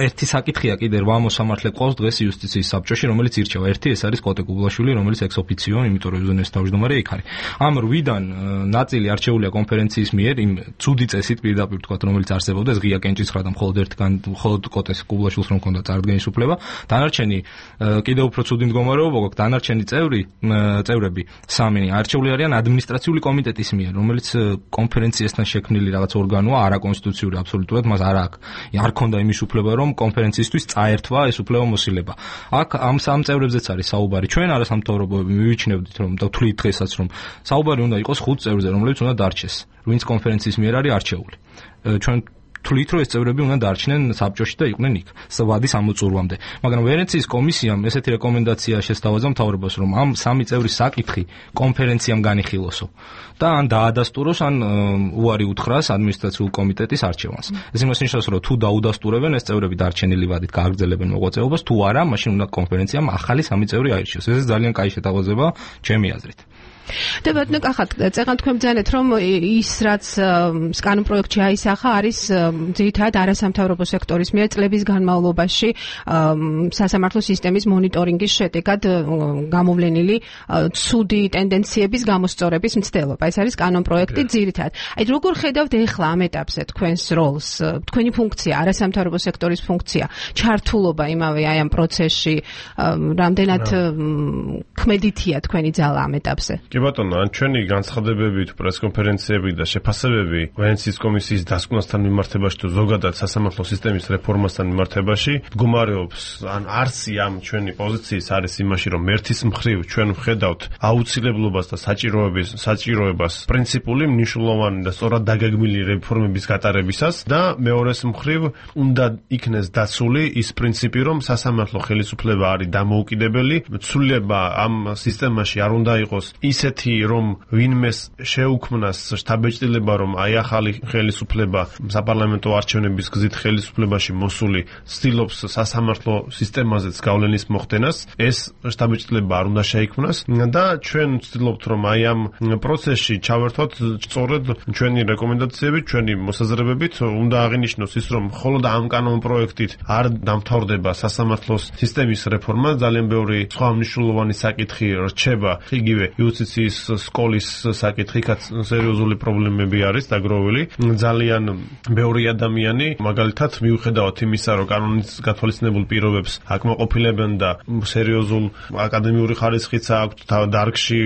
ერთი საკითხია კიდე 8 მოსამართლე ყავს დღეს იუსტიციის საბჭოში, რომელიც ირჩევა. ერთი ეს არის კოტე გუბლაშვილი, რომელიც ექს-ოფიციო, იმიტომ რომ უზენაესი თავმჯდომარე იქ არის. ამ 8-დან ნაწილი არჩეულია კონფერენციის მიერ, იმ ცუდი წესით პირდაპირ თქვა, რომელიც არსებობდა, ეს ღია კენჭისხრა და მხოლოდ კოტეს გუბლაშვილს რომ ჰქონდა წარდგენის უფლება. დანარჩენი კიდევ უფრო ცუდი მდგომარეობა გვაქვს, დანარჩენი წევრები 3 არჩეული არიან ადმინისტრაციული კომიტეტის მიერ, რომელიც კონფერენციასთან შექმნილი რაღაც ორგანოა, არაკონსტიტუციური აბსოლუტურად, მას არ ქონდა იმის უფლება, რომ კონფერენციისთვის წაერთვა ეს უფლება მოსილება. აქ ამ 3 წევრებზეც არის საუბარი. ჩვენ არასამთავრობოები მივიჩნევდით, რომ და ვთვლით დღესაც, რომ საუბარი უნდა იყოს 5 წევრზე, რომლებიც უნდა დარჩეს, ვინც კონფერენციის მიერ არის არჩეული. ჩვენ თვლით, რომ ეს წევრები უნდა დარჩნენ საბჭოში და იყვნენ იქ ვადის ამოწურვამდე. მაგრამ ვენეციის კომისიამ ესეთი რეკომენდაცია შესთავაზა მთავრობას, რომ ამ 3 წევრის საკითხი კონფერენციამ განიხილოსო და ან დაადასტუროს, ან უარი უთხრას ადმინისტრაციულ კომიტეტის არჩევანს. ეს იმას ნიშნავს, რომ თუ დაუდასტურებენ, ეს წევრები დარჩენილი ვადით გააგრძელებენ მოღვაწეობას, თუ არა, მაშინ უნდა კონფერენციამ ახალი 3 წევრი აირჩიოს. ეს ძალიან კაი შეთავაზება ჩემი აზრით. და ბატონო კახა, წეგან თქვენ ბრძანეთ, რომ ის რაც კანონპროექტში აისახა არის ძირითადად არასამთავრობო სექტორის მიერ წლების განმავლობაში სასამართლო სისტემის მონიტორინგის შედეგად გამოვლენილი ცუდი ტენდენციების გამოსწორების მცდელობა. ეს არის კანონპროექტი ძირითადად. აი როგორ ხედავთ ეხლა ამ ეტაპზე თქვენს როლს, თქვენი ფუნქცია, არასამთავრობო სექტორის ფუნქცია, ჩართულობა იმავე აი ამ პროცესში, რამდენად მოქმედითია თქვენი ძალა ამ ეტაპზე? კი ბატონო, ან ჩვენი განცხადებები, პრესკონფერენციები და შეფასებები ვენეციის კომისიის დასკვნასთან მიმართებაში თუ ზოგადად სასამართლო სისტემის რეფორმასთან მიმართებაში მდგომარეობს, ან არსი ამ ჩვენი პოზიციის არის იმაში, რომ ერთის მხრივ ჩვენ ვხედავთ აუცილებლობას და საჭიროებას პრინციპული, მნიშვნელოვანი და სწორად დაგეგმილი რეფორმების გატარებისას და მეორეს მხრივ უნდა იქნეს დაცული ის პრინციპი, რომ სასამართლო ხელისუფლება არის დამოუკიდებელი, ცვლილება ამ სისტემაში არ უნდა იყოს ისეთი, რომ ვინმეს შეუქმნას შთაბეჭდილება, რომ აი ახალი ხელისუფლება საპარლამენტო არჩევნების გზით ხელისუფლებაში მოსული ცდილობს სასამართლო სისტემაზეც გავლენის მოხდენას, ეს შთაბეჭდილება არ უნდა შეიქმნას და ჩვენ ვცდილობთ, რომ აი ამ პროცესში ჩავერთვათ სწორედ ჩვენი რეკომენდაციები, ჩვენი მოსაზრებებით, უნდა აღინიშნოს ის, რომ მხოლოდ ამ კანონპროექტით არ დამთავრდება სასამართლოს სისტემის რეფორმა, ძალიან ბევრი სხვა მნიშვნელოვანი საკითხი რჩება, იგივე იუსტიციის სკოლის საკითხი, სერიოზული პრობლემები არის დაგროვილი. ძალიან ბევრი ადამიანი, მაგალითად, მიუხედავად იმისა, რომ კანონის გათვალისწინებულ პირობებს აკმაყოფილებენ და სერიოზულ აკადემიური ხარისხიც აქვთ დარგში,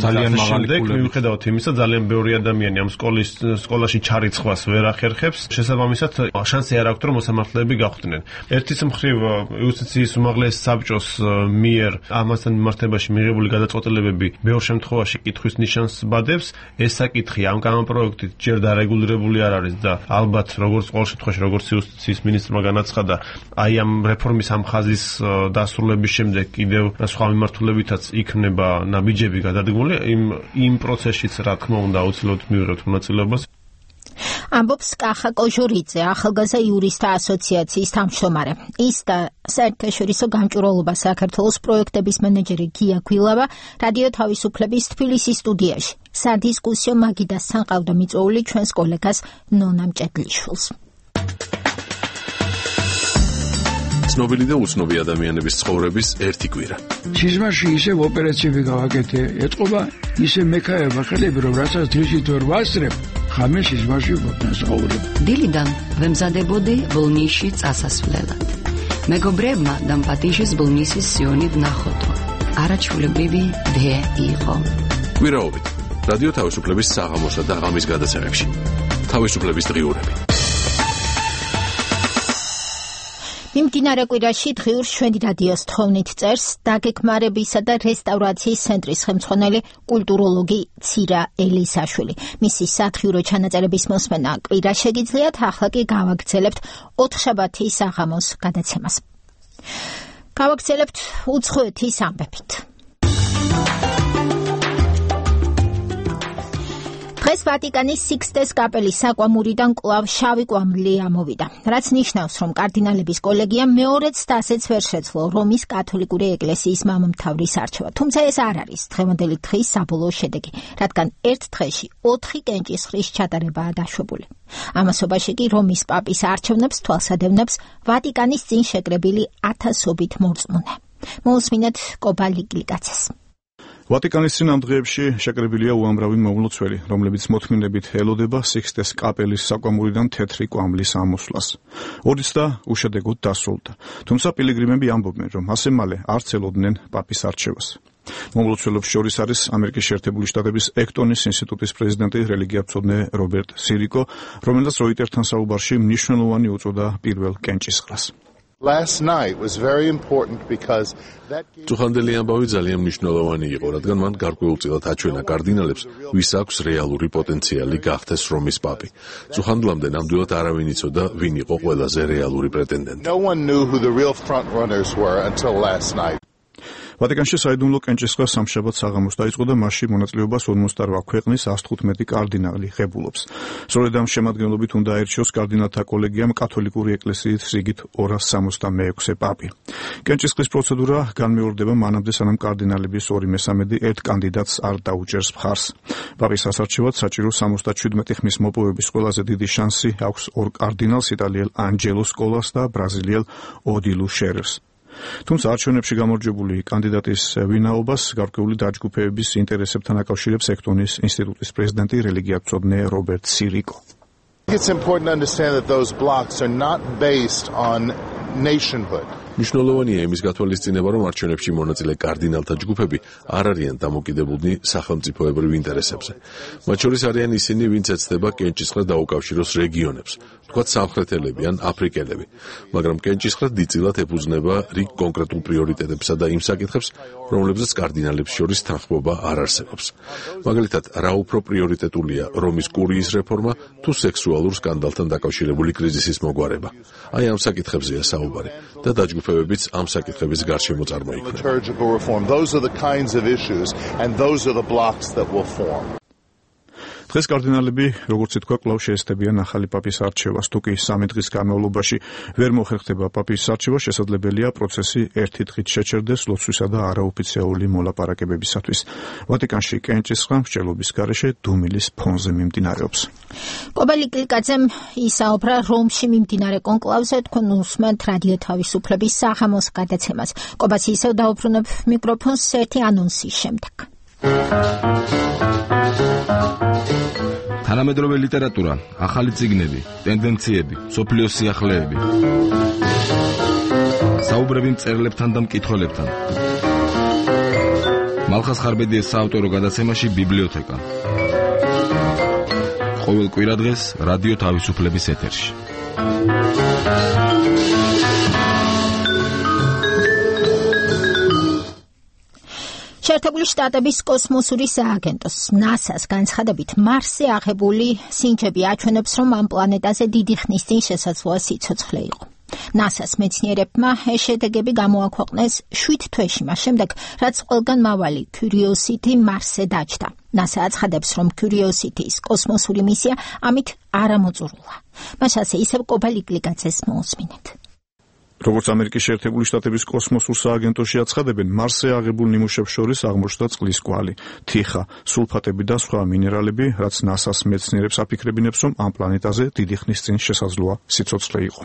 ძალიან მაღალი, მიუხედავად იმისა, ძალიან ბევრი ადამიანი ამ სკოლაში ჩარიცხვას ვერ ახერხებს, შესაბამისად, შანსი არ აქვთ, რომ მოსამართლეები გახვდნენ. ერთის მხრივ იუსტიციის უმაღლეს საბჭოს მიერ ამასთან მიმართებაში მიღებული გადაწყვეტილებები ბევრ შემთხვევაში კითხვის ნიშანს ბადებს. ეს საკითხი ამ კანონპროექტით ჯერ დარეგულირებული არ არის და ალბათ როგორც ყოველ შემთხვევაში როგორც იუსტიციის მინისტრმა განაცხადა, აი ამ რეფორმის ამ ხაზის დასრულების შემდეგ კიდევ სხვა მიმართულებითაც იქნება ნაბიჯები გადადგმული იმ პროცესშიც, რა თქმა უნდა, აუცილებლად მივიღებთ მონაწილეობას. ამბობს კახა კოჟურიძე, ახალგაზრდა იურისტთა ასოციაციის თავმჯდომარე. ის და საერთაშორისო გამჭვირვალობა საქართველოს პროექტების მენეჯერი გია გვილავა რადიო თავისუფლების თბილისის სტუდიაში სადისკუსიო მაგიდასთან ყავდა მიწვეული ჩვენს კოლეგას ნონა მჭედლიშვილს. ცნობილი და უცნობი ადამიანების ცხოვრების ერთი კვირა. სიზმარში ისევ ოპერაციები გავაკეთე, ეთყობა ისე მექაება ხელები, რომ რასაც დღისით ვერ ვასწრებ, ხამე სიზმარში ვფასაურებ. დილიდან ვემზადებოდი ბოლნისში წასასვლელად. მეგობრებმა დამპატიშეს ბოლნისის სიონით ნახოთო. არაჩვეულებრივი დე იყო. კვირაობით რადიო თავისუფლების საღამოსა და ღამის გადაცემებში. თავისუფლების დღიურები. მიმდინარე კვირაში დღიურ შვედი რადიოს თხოვნით წერს დაგეგმარებისა და რესტავრაციის ცენტრის ხელმძღვანელი კულტუროლოგი ცირა ელისაშვილი. მისი სათხიურო ჩანაწერების მოსმენა კვირა შეგიძლიათ, ახლა კი გავაგრძელებთ ოთხშაბათის საღამოს გადაცემას. გავაგრძელებთ უცხოეთის ამბებით. დღეს ვატიკანის სიქსტეს კაპელის საკვამურიდან კვლავ შავი კვამლი ამოვიდა, რაც ნიშნავს, რომ კარდინალების კოლეგიამ მეორეც დასეც ვერ შეძლო რომის კათოლიკური ეკლესიის მამამთავრის არჩევა. თუმცა ეს არ არის დღევანდელი დღის საბოლოო შედეგი, რადგან ერთ დღეში 4 კენჭისყრის ჩატარებაა დაშვებული. ამასობაში კი რომის პაპის არჩევნებს თვალსადევნებს ვატიკანის წინ შეკრებილი ათასობით მორწმუნე. მოусმინეთ კობალიგლიკაცეს. ვატიკანის წინ ამ დღეებში შეკრებილია უამრავი მომლოცველი, რომლებიც მოთმინებით ელოდება სიქსტეს კაპელის საკვამურიდან თეთრი კვამლის ამოსვლას. ორიც და უშედეგოდ დასრულდა. თუმცა პილიგრიმები ამბობენ, რომ ასე მალე არც ელოდნენ პაპის არჩევას. მომლოცველებს შორის არის ამერიკის შეერთებული შტატების ექტონის ინსტიტუტის პრეზიდენტი, რელიგიათმცოდნე რობერტ სირიკო, რომელსაც როიტერთან საუბარში მნიშვნელოვანი უწოდა პირველ კენჭისყრას. Last night was very important because წუხანდელი ამბავი ძალიან მნიშვნელოვანი იყო, რადგან მან გარკვეულწილად აჩვენა კარდინალებს, ვის აქვს რეალური პოტენციალი გახდეს რომის პაპი. წუხანდლამდე ნამდვილად არავინ იცოდა, ვინ იყო ყველაზე რეალური პრეტენდენტი. No one knew who the real front runners were until last night. ვატიკანში საიდუმლო კენჭისყრა სამშაბათ საღამოს დაიწყო და მასში მონაწილეობას 58 ქვეყნის 115 კარდინალი ღებულობს. სწორედ ამ შემადგენლობით უნდა აირჩიოს კარდინალთა კოლეგიამ კათოლიკური ეკლესიის რიგით 266 პაპი. კენჭისყრის პროცედურა განმეორდება მანამდე, სანამ კარდინალების 2/3 ერთ კანდიდატს არ დაუჭერს მხარს. პაპის ასარჩევად საჭირო 77 ხმის მოპოვების ყველაზე დიდი შანსი აქვს ორ კარდინალს, იტალიელ ანჯელო სკოლას და ბრაზილიელ ოდილუ შერერს. თუმცა არჩევნებში გამარჯვებული კანდიდატის ვინაობას გარკვეული დაჯგუფების ინტერესებთან აკავშირებს ექტონის ინსტიტუტის პრეზიდენტი, რელიგიათმცოდნე რობერტ სირიკო. It's important to understand that those blocks are not based on nationhood. მნიშვნელოვანია იმის გათვალისწინება, რომ არჩევნებში მონაწილე კარდინალთა ჯგუფები არ არიან დამოკიდებულნი სახელმწიფოებრივ ინტერესებზე. მათ შორის არიან ისინი, ვინც ეცდება კენჭისყრა დაუკავშიროს რეგიონებს, თქვათ სამხრეთელები ან აფრიკელები, მაგრამ კენჭისყრა დიდწილად ეფუძნება რიგ კონკრეტულ პრიორიტეტებსა და იმ საკითხებს, რომლებზეც კარდინალებს შორის თანხმობა არ არსებობს. მაგალითად, რა უფრო პრიორიტეტულია რომის კურიის რეფორმა თუ სექსუალურ სკანდალთან დაკავშირებული კრიზისის მოგვარება. აი ამ საკითხებზეა საუბარი და დაჯგუფებებიც ამ საკითხების გარშემო წარმოიქმნება. დღეს კარდინალები, როგორც ითქვა, კვლავ შეესწებიან ახალი პაპის არჩევას. თუ კი 3 დღის განმავლობაში ვერ მოხერხდება პაპის არჩევა, შესაძლებელია პროცესი ერთი დღით შეჩერდეს ლოცვისა და არაოფიციალური მოლაპარაკებებისათვის. ვატიკანში კენჭისყრა მსჯელობის გარეშე დუმილის ფონზე მიმდინარეობს. კობალი კლიკაძემ ისაუბრა რომში მიმდინარე კონკლავზე, თქვენ უსმენთ რადიო თავისუფლების საღამოს გადაცემას. კობას ისევ დაუბრუნებ მიკროფონს ერთი ანონსის შემდეგ. თანამედროვე ლიტერატურა, ახალი წიგნები, ტენდენციები, სოფლიოს სიახლეები. საუბრები მწერლებთან და მკითხველებთან. მალხას ხარბედიეს საავტორო გადაცემაში ბიბლიოთეკა. ყოველ კვირადღეს რადიო თავისუფლების ეთერში. შეერთებული შტატების კოსმოსური სააგენტოს NASA-ს განცხადებით, მარსზე აღებული სინჯები აჩვენებს, რომ ამ პლანეტაზე დიდი ხნის წინ შესაძლოა სიცოცხლე იყო. NASA-ს მეცნიერებმა ეს შედეგები გამოაქვეყნეს 7 თვეში მას შემდეგ, რაც ყველგან მავალი Curiosity მარსზე დაჯდა. NASA აცხადებს, რომ Curiosity-ის კოსმოსური მისია ამით არ ამოწურულა. მას ასე ისევ კობალი კლიკაძეს მოусმინეთ. როგორც ამერიკის შეერთებული შტატების კოსმოსურ სააგენტოში აცხადებენ, მარსზე აღებულ ნიმუშებს შორის აღმოჩნდა წყლის კვალი, თიხა, სულფატები და სხვა მინერალები, რაც NASA-ს მეცნიერებს აფიქრებინებს, რომ ამ პლანეტაზე დიდი ხნის წინ შესაძლოა სიცოცხლე იყო.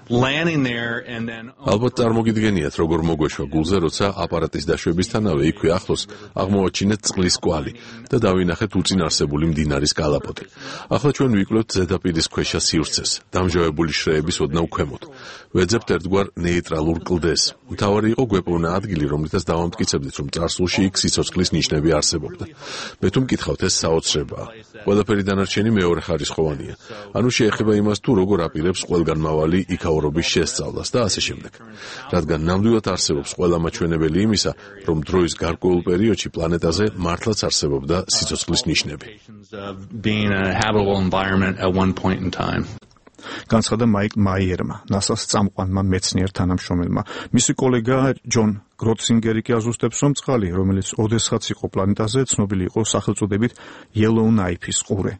ალბათ წარმოგიდგენიათ, როგორ მოგვეშვა გულზე, როცა აპარატის დაშვებისთანავე იქვე ახლოს აღმოაჩინეთ წყლის კვალი და დავინახეთ უწინარსებული მდინარის კალაპოტი. ახლა ჩვენ ვიკვლევთ ზედაპირის ქვეშა სივრცეს, დამჟავებული შრეების ოდნავ ქვემოთ. ვეძებთ ერთგვარ ნეიტრალურ კლდეს. მთავარი იყო გვეპოვნა ადგილი, რომლითაც დავამტკიცებდით, რომ წარსულში იქ სიცოცხლის ნიშნები არსებობდა. მე თუ მკითხავთ, ეს საოცრებაა. ყველაფერი დანარჩენი მეორეხარისხოვანია. ანუ შეეხება იმას, თუ როგორ აპირებს ყველგანმავალი იქაურობის შესწავლას და ასე შემდეგ. რადგან ნამდვილად არსებობს ყველა მაჩვენებელი იმისა, რომ დროის გარკვეულ პერიოდში პლანეტაზე მართლაც არსებობდა სიცოცხლის ნიშნები. განცხადა მაიკ მაიერმა, NASA-ს წამყვანმა მეცნიერ თანამშრომელმა. მისი კოლეგა ჯონ გროცინგერი კი აზუსტებს, რომ წყალი, რომელიც ოდესღაც იყო პლანეტაზე, ცნობილი იყო სახელწოდებით Yellowknife-ის ყურე.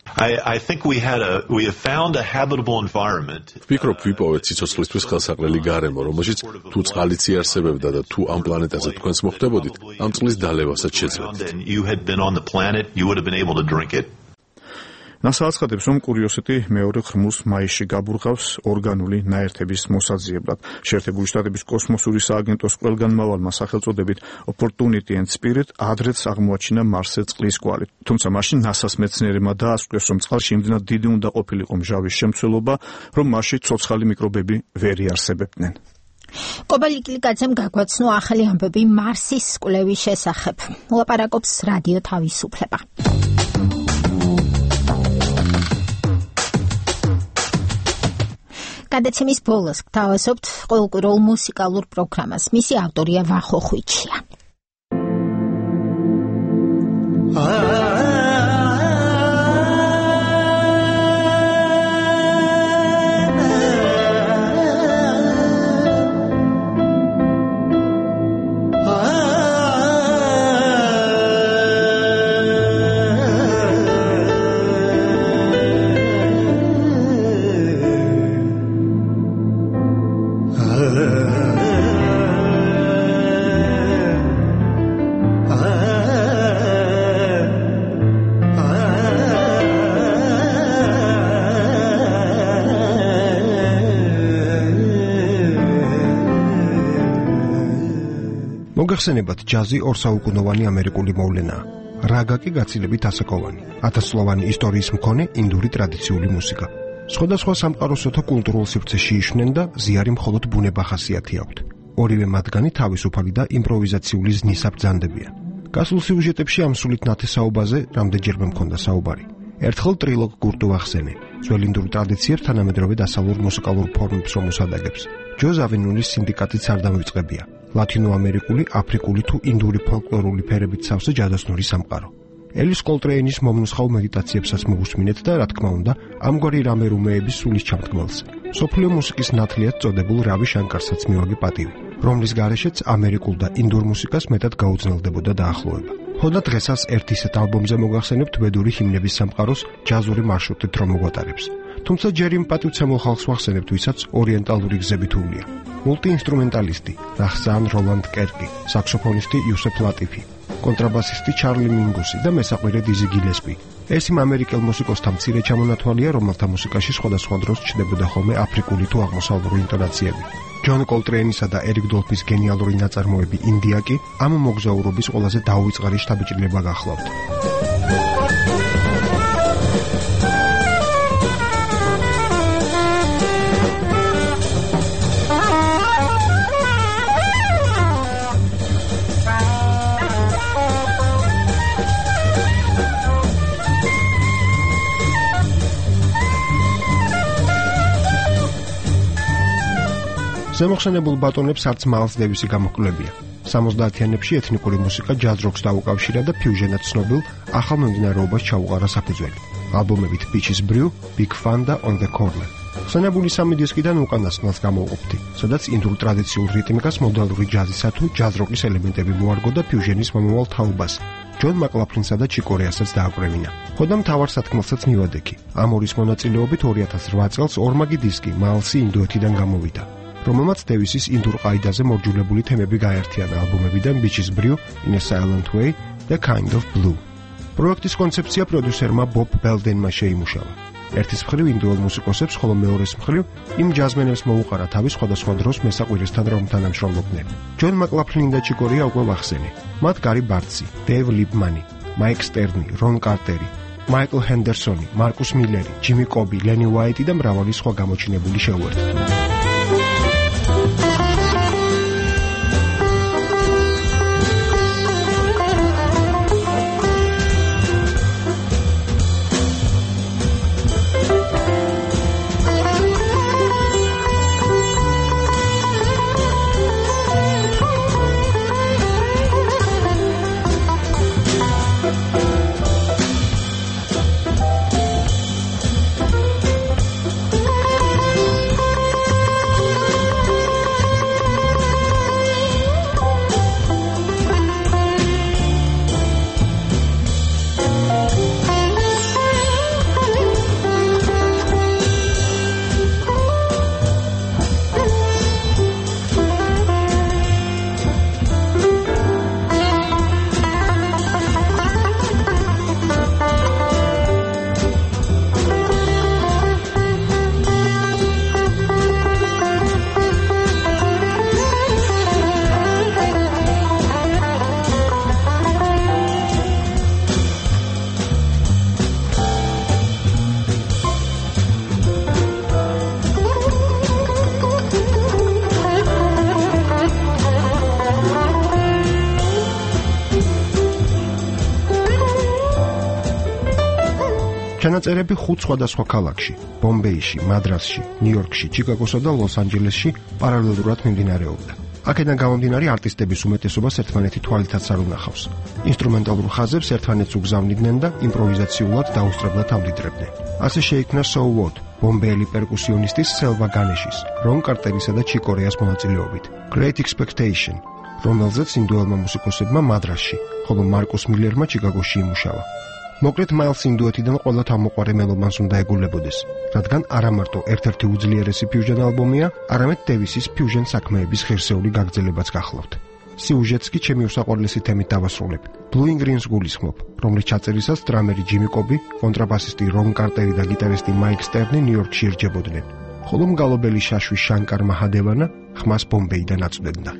I think we have found a habitable environment. ვფიქრობ, ვიპოვეთ სიცოცხლისთვის ხელსაყრელი გარემო, რომელშიც თუ წყალიც იარსებებდა და თუ ამ პლანეტაზე თქვენს მოხდებოდით, ამ წყლის დალევასაც შეძლებდით. NASA აცხადებს, რომ Curiosity მეორე ხრმულს მაისში გაბურღავს ორგანული ნაერთების მოსაძიებლად. შეერთებული შტატების კოსმოსური სააგენტოს ყველგანმავალმა სახელწოდებით Opportunity and Spirit ადრეც აღმოაჩინა მარსზე წყლის კვალი. თუმცა მაშინ NASA-ს მეცნიერებმა დაასკვეს, რომ წყალში იმდენად დიდი უნდა ყოფილიყო მჟავის შემცველობა, რომ მასში ცოცხალი მიკრობები ვერ იარსებებდნენ. კობალი კლიკაძემ გაგვაცნო ახალი ამბები მარსის კვლევის შესახებ. ლაპარაკობს რადიო თავისუფლება. გადაცემის ბოლოს გთავაზობთ ყოველკვირეულ მუსიკალურ პროგრამას. მისი ავტორია ვახო ხვიჩია. მოგახსენებათ, ჯაზი ორსაუკუნოვანი ამერიკული მოვლენაა. რაგა კი გაცილებით ასაკოვანი, 1000 წლოვანი ისტორიის მქონე ინდური ტრადიციული მუსიკა. სხვადასხვა სამყაროსოთა კულტურულ სივრცეში იშვნენ და ზიარი მხოლოდ ბუნება ხასიათი აქვთ. ორივე მათგანი თავისუფალი და იმპროვიზაციული ზნის აბრძანდებიან. გასულ სიუჟეტებში ამ სულით ნათესაობაზე რამდენჯერმე მქონდა საუბარი. ერთხელ ტრილოგ გურტუ ახსენე, ძველ ინდურ ტრადიციებს თანამედროვე დასავლურ მუსიკალურ ფორმებს რომ უსადაგებს. ჯო ზავინულის სინდიკატიც არ დამივიწყებია. ლათინოამერიკული, აფრიკული თუ ინდური ფოლკლორული ფერებით სავსე ჯადოსნური სამყარო. ელის კოლტრეინის მომნუსხავ მედიტაციებსაც მოусმინეთ და რა თქმა უნდა, ამგვარი რამერუმეების სულის ჩამდგმელს. სოფლიო მუსიკის ნათლიად წოდებულ რავი შანკარსაც მივაგე პატივი, რომლის გარეშეც ამერიკულ და ინდურ მუსიკას მეტად გაუძნელდებოდა დაახლოება. ხოდა დღესაც ერთ ისეთ ალბომზე მოგახსენებთ ვედური ჰიმნების სამყაროს ჯაზური მარშრუტით რომ მოგვატარებს. თუმცა ჯერ იმ პატივცემულ ხალხს ვახსენებთ, ვისაც ორიენტალური გზებით უვლია. მულტიინსტრუმენტალისტი რახსან როლანდ კერკი, საქსოფონისტი იუსეფ ლატიფი, კონტრაბასისტი ჩარლი მინგუსი და მესაყვირე დიზი გილესპი. ეს იმ ამერიკელ მუსიკოსთა მცირე ჩამონათვალია, რომელთა მუსიკაში სხვადასხვა დროს ჩნდებოდა ხოლმე აფრიკული თუ აღმოსავლური ინტონაციები. ჯონ კოლტრეინისა და ერიკ დოლფის გენიალური ნაწარმოები ინდია კი ამ მოგზაურობის ყველაზე დაუვიწყარი შთაბეჭდილება გახლავთ. ზემოხსენებულ ბატონებს არც მაილს დევისი გამოჰკვლებია. 70-იანებში ეთნიკური მუსიკა ჯაზ როკს დაუკავშირა და ფიუჟენად ცნობილ ახალ მომდინარეობას ჩაუყარა საფუძველი. ალბომებით Beaches Brew, Big Fun და On the Corner. ხსენებული სამი დისკიდან უკანასკნელს გამოვყოფთი, სადაც ინდურ ტრადიციულ რიტმიკას მოდალური ჯაზისა თუ ჯაზ როკის ელემენტები მოარგო და ფიუჟენის მომავალ თაობას. ჯონ მაკლაფლინსა და ჩიკო რეასაც დააკვრევინა. ხოდა მთავარ სათქმელსაც მივადექი. ამ ორის მონაწილეობით 2008 წელს ორმაგი დისკი მაილსი ინდოეთიდან გამოვიდა, რომელმაც დევისის ინდურ ყაიდაზე მორჯულებული თემები გაერთიანა ალბომებიდან Beaches Brew, In a Silent Way და Kind of Blue. პროექტის კონცეფცია პროდიუსერმა ბობ ბელდენმა შეიმუშავა. ერთის მხრივ ინდოელ მუსიკოსებს, ხოლო მეორეს მხრივ იმ ჯაზმენებს მოუყარა თავი სხვადასხვა დროს მესაყვირესთან რომ თანამშრომლობდნენ. ჯონ მაკლაფლინი და ჩიკო რეა უკვე ვახსენე. მათ გარი ბარტსი, დევ ლიპმანი, მაიკ სტერნი, რონ კარტერი, მაიკლ ჰენდერსონი, მარკუს მილერი, ჯიმი კობი, ლენი უაიტი და მრავალი სხვა გამოჩინებული შეუერთდა. ჩანაწერები 5 სხვადასხვა ქალაქში, ბომბეიში, მადრასში, ნიუ-იორკში, ჩიკაგოსა და ლოს-ანჯელესში პარალელურად მიმდინარეობდა. აქედან გამომდინარე არტისტების უმეტესობას ერთმანეთი თვალითაც არ უნახავს. ინსტრუმენტალურ ხაზებს ერთმანეთს უგზავნიდნენ და იმპროვიზაციულად დაუსწრებლად ამდიდრებდნენ. ასე შეიქმნა So What, ბომბეელი პერკუსიონისტის სელვა განეშის, რონ კარტერისა და ჩიკო რეას მონაწილეობით, Great Expectation, რომელზეც ინდოელმა მუსიკოსებმა მადრასში, ხოლო მარკუს მილერმა ჩიკაგოში იმუშავა. მოკლედ მაილს ინდოეთიდან ყველა თავმოყვარე მელომანს უნდა ეგულებოდეს, რადგან არა მარტო ერთ-ერთი უძლიერესი ფიუჟენ ალბომია, არამედ დევისის ფიუჟენ საქმეების ღირსეული გაგრძელებაც გახლავთ. სიუჟეტს კი ჩემი უსაყვარლესი თემით დავასრულებ. Blue Green's გულისხმობ, რომლის ჩაწერისას დრამერი ჯიმი კობი, კონტრაბასისტი რონ კარტერი და გიტარისტი მაიკ სტერნი ნიუ-იორკში ერჯებოდნენ, ხოლო მგალობელი შაშვი შანკარ მაჰადევანა ხმას ბომბეიდან აწვდენდა.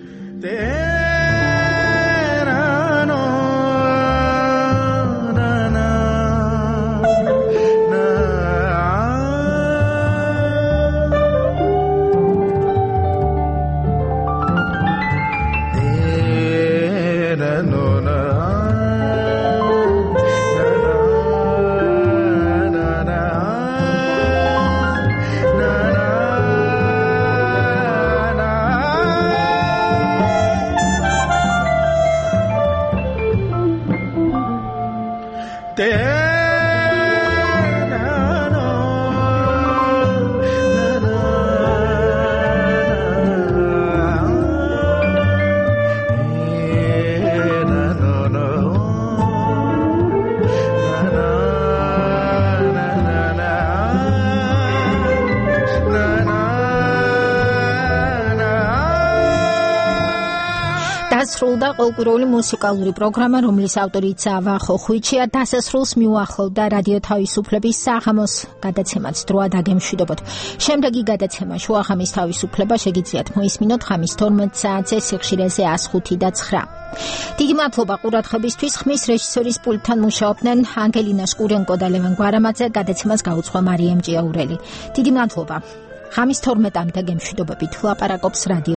დასრულდა ყოველკვირეული მუსიკალური პროგრამა, რომლის ავტორიც ვახო ხვიჩია. დასასრულს მიუახლოვდა რადიო თავისუფლების საღამოს გადაცემაც დროა დაგემშვიდობოთ. შემდეგი გადაცემა შუახამის თავისუფლება შეგიძლიათ მოისმინოთ ხამის 12 საათზე სიხშირეზე 105 და 9. დიდი მადლობა ყურადღებისთვის. ხმის რეჟისორის პულტთან მუშაობდნენ ანგელინა შკურენკო და ლევან გვარამაძე. გადაცემას გაუძღვა მარიამ ჭიაურელი. დიდი მადლობა. ხამის 12-მდე გემშვიდობებით ლაპარაკობს რადიო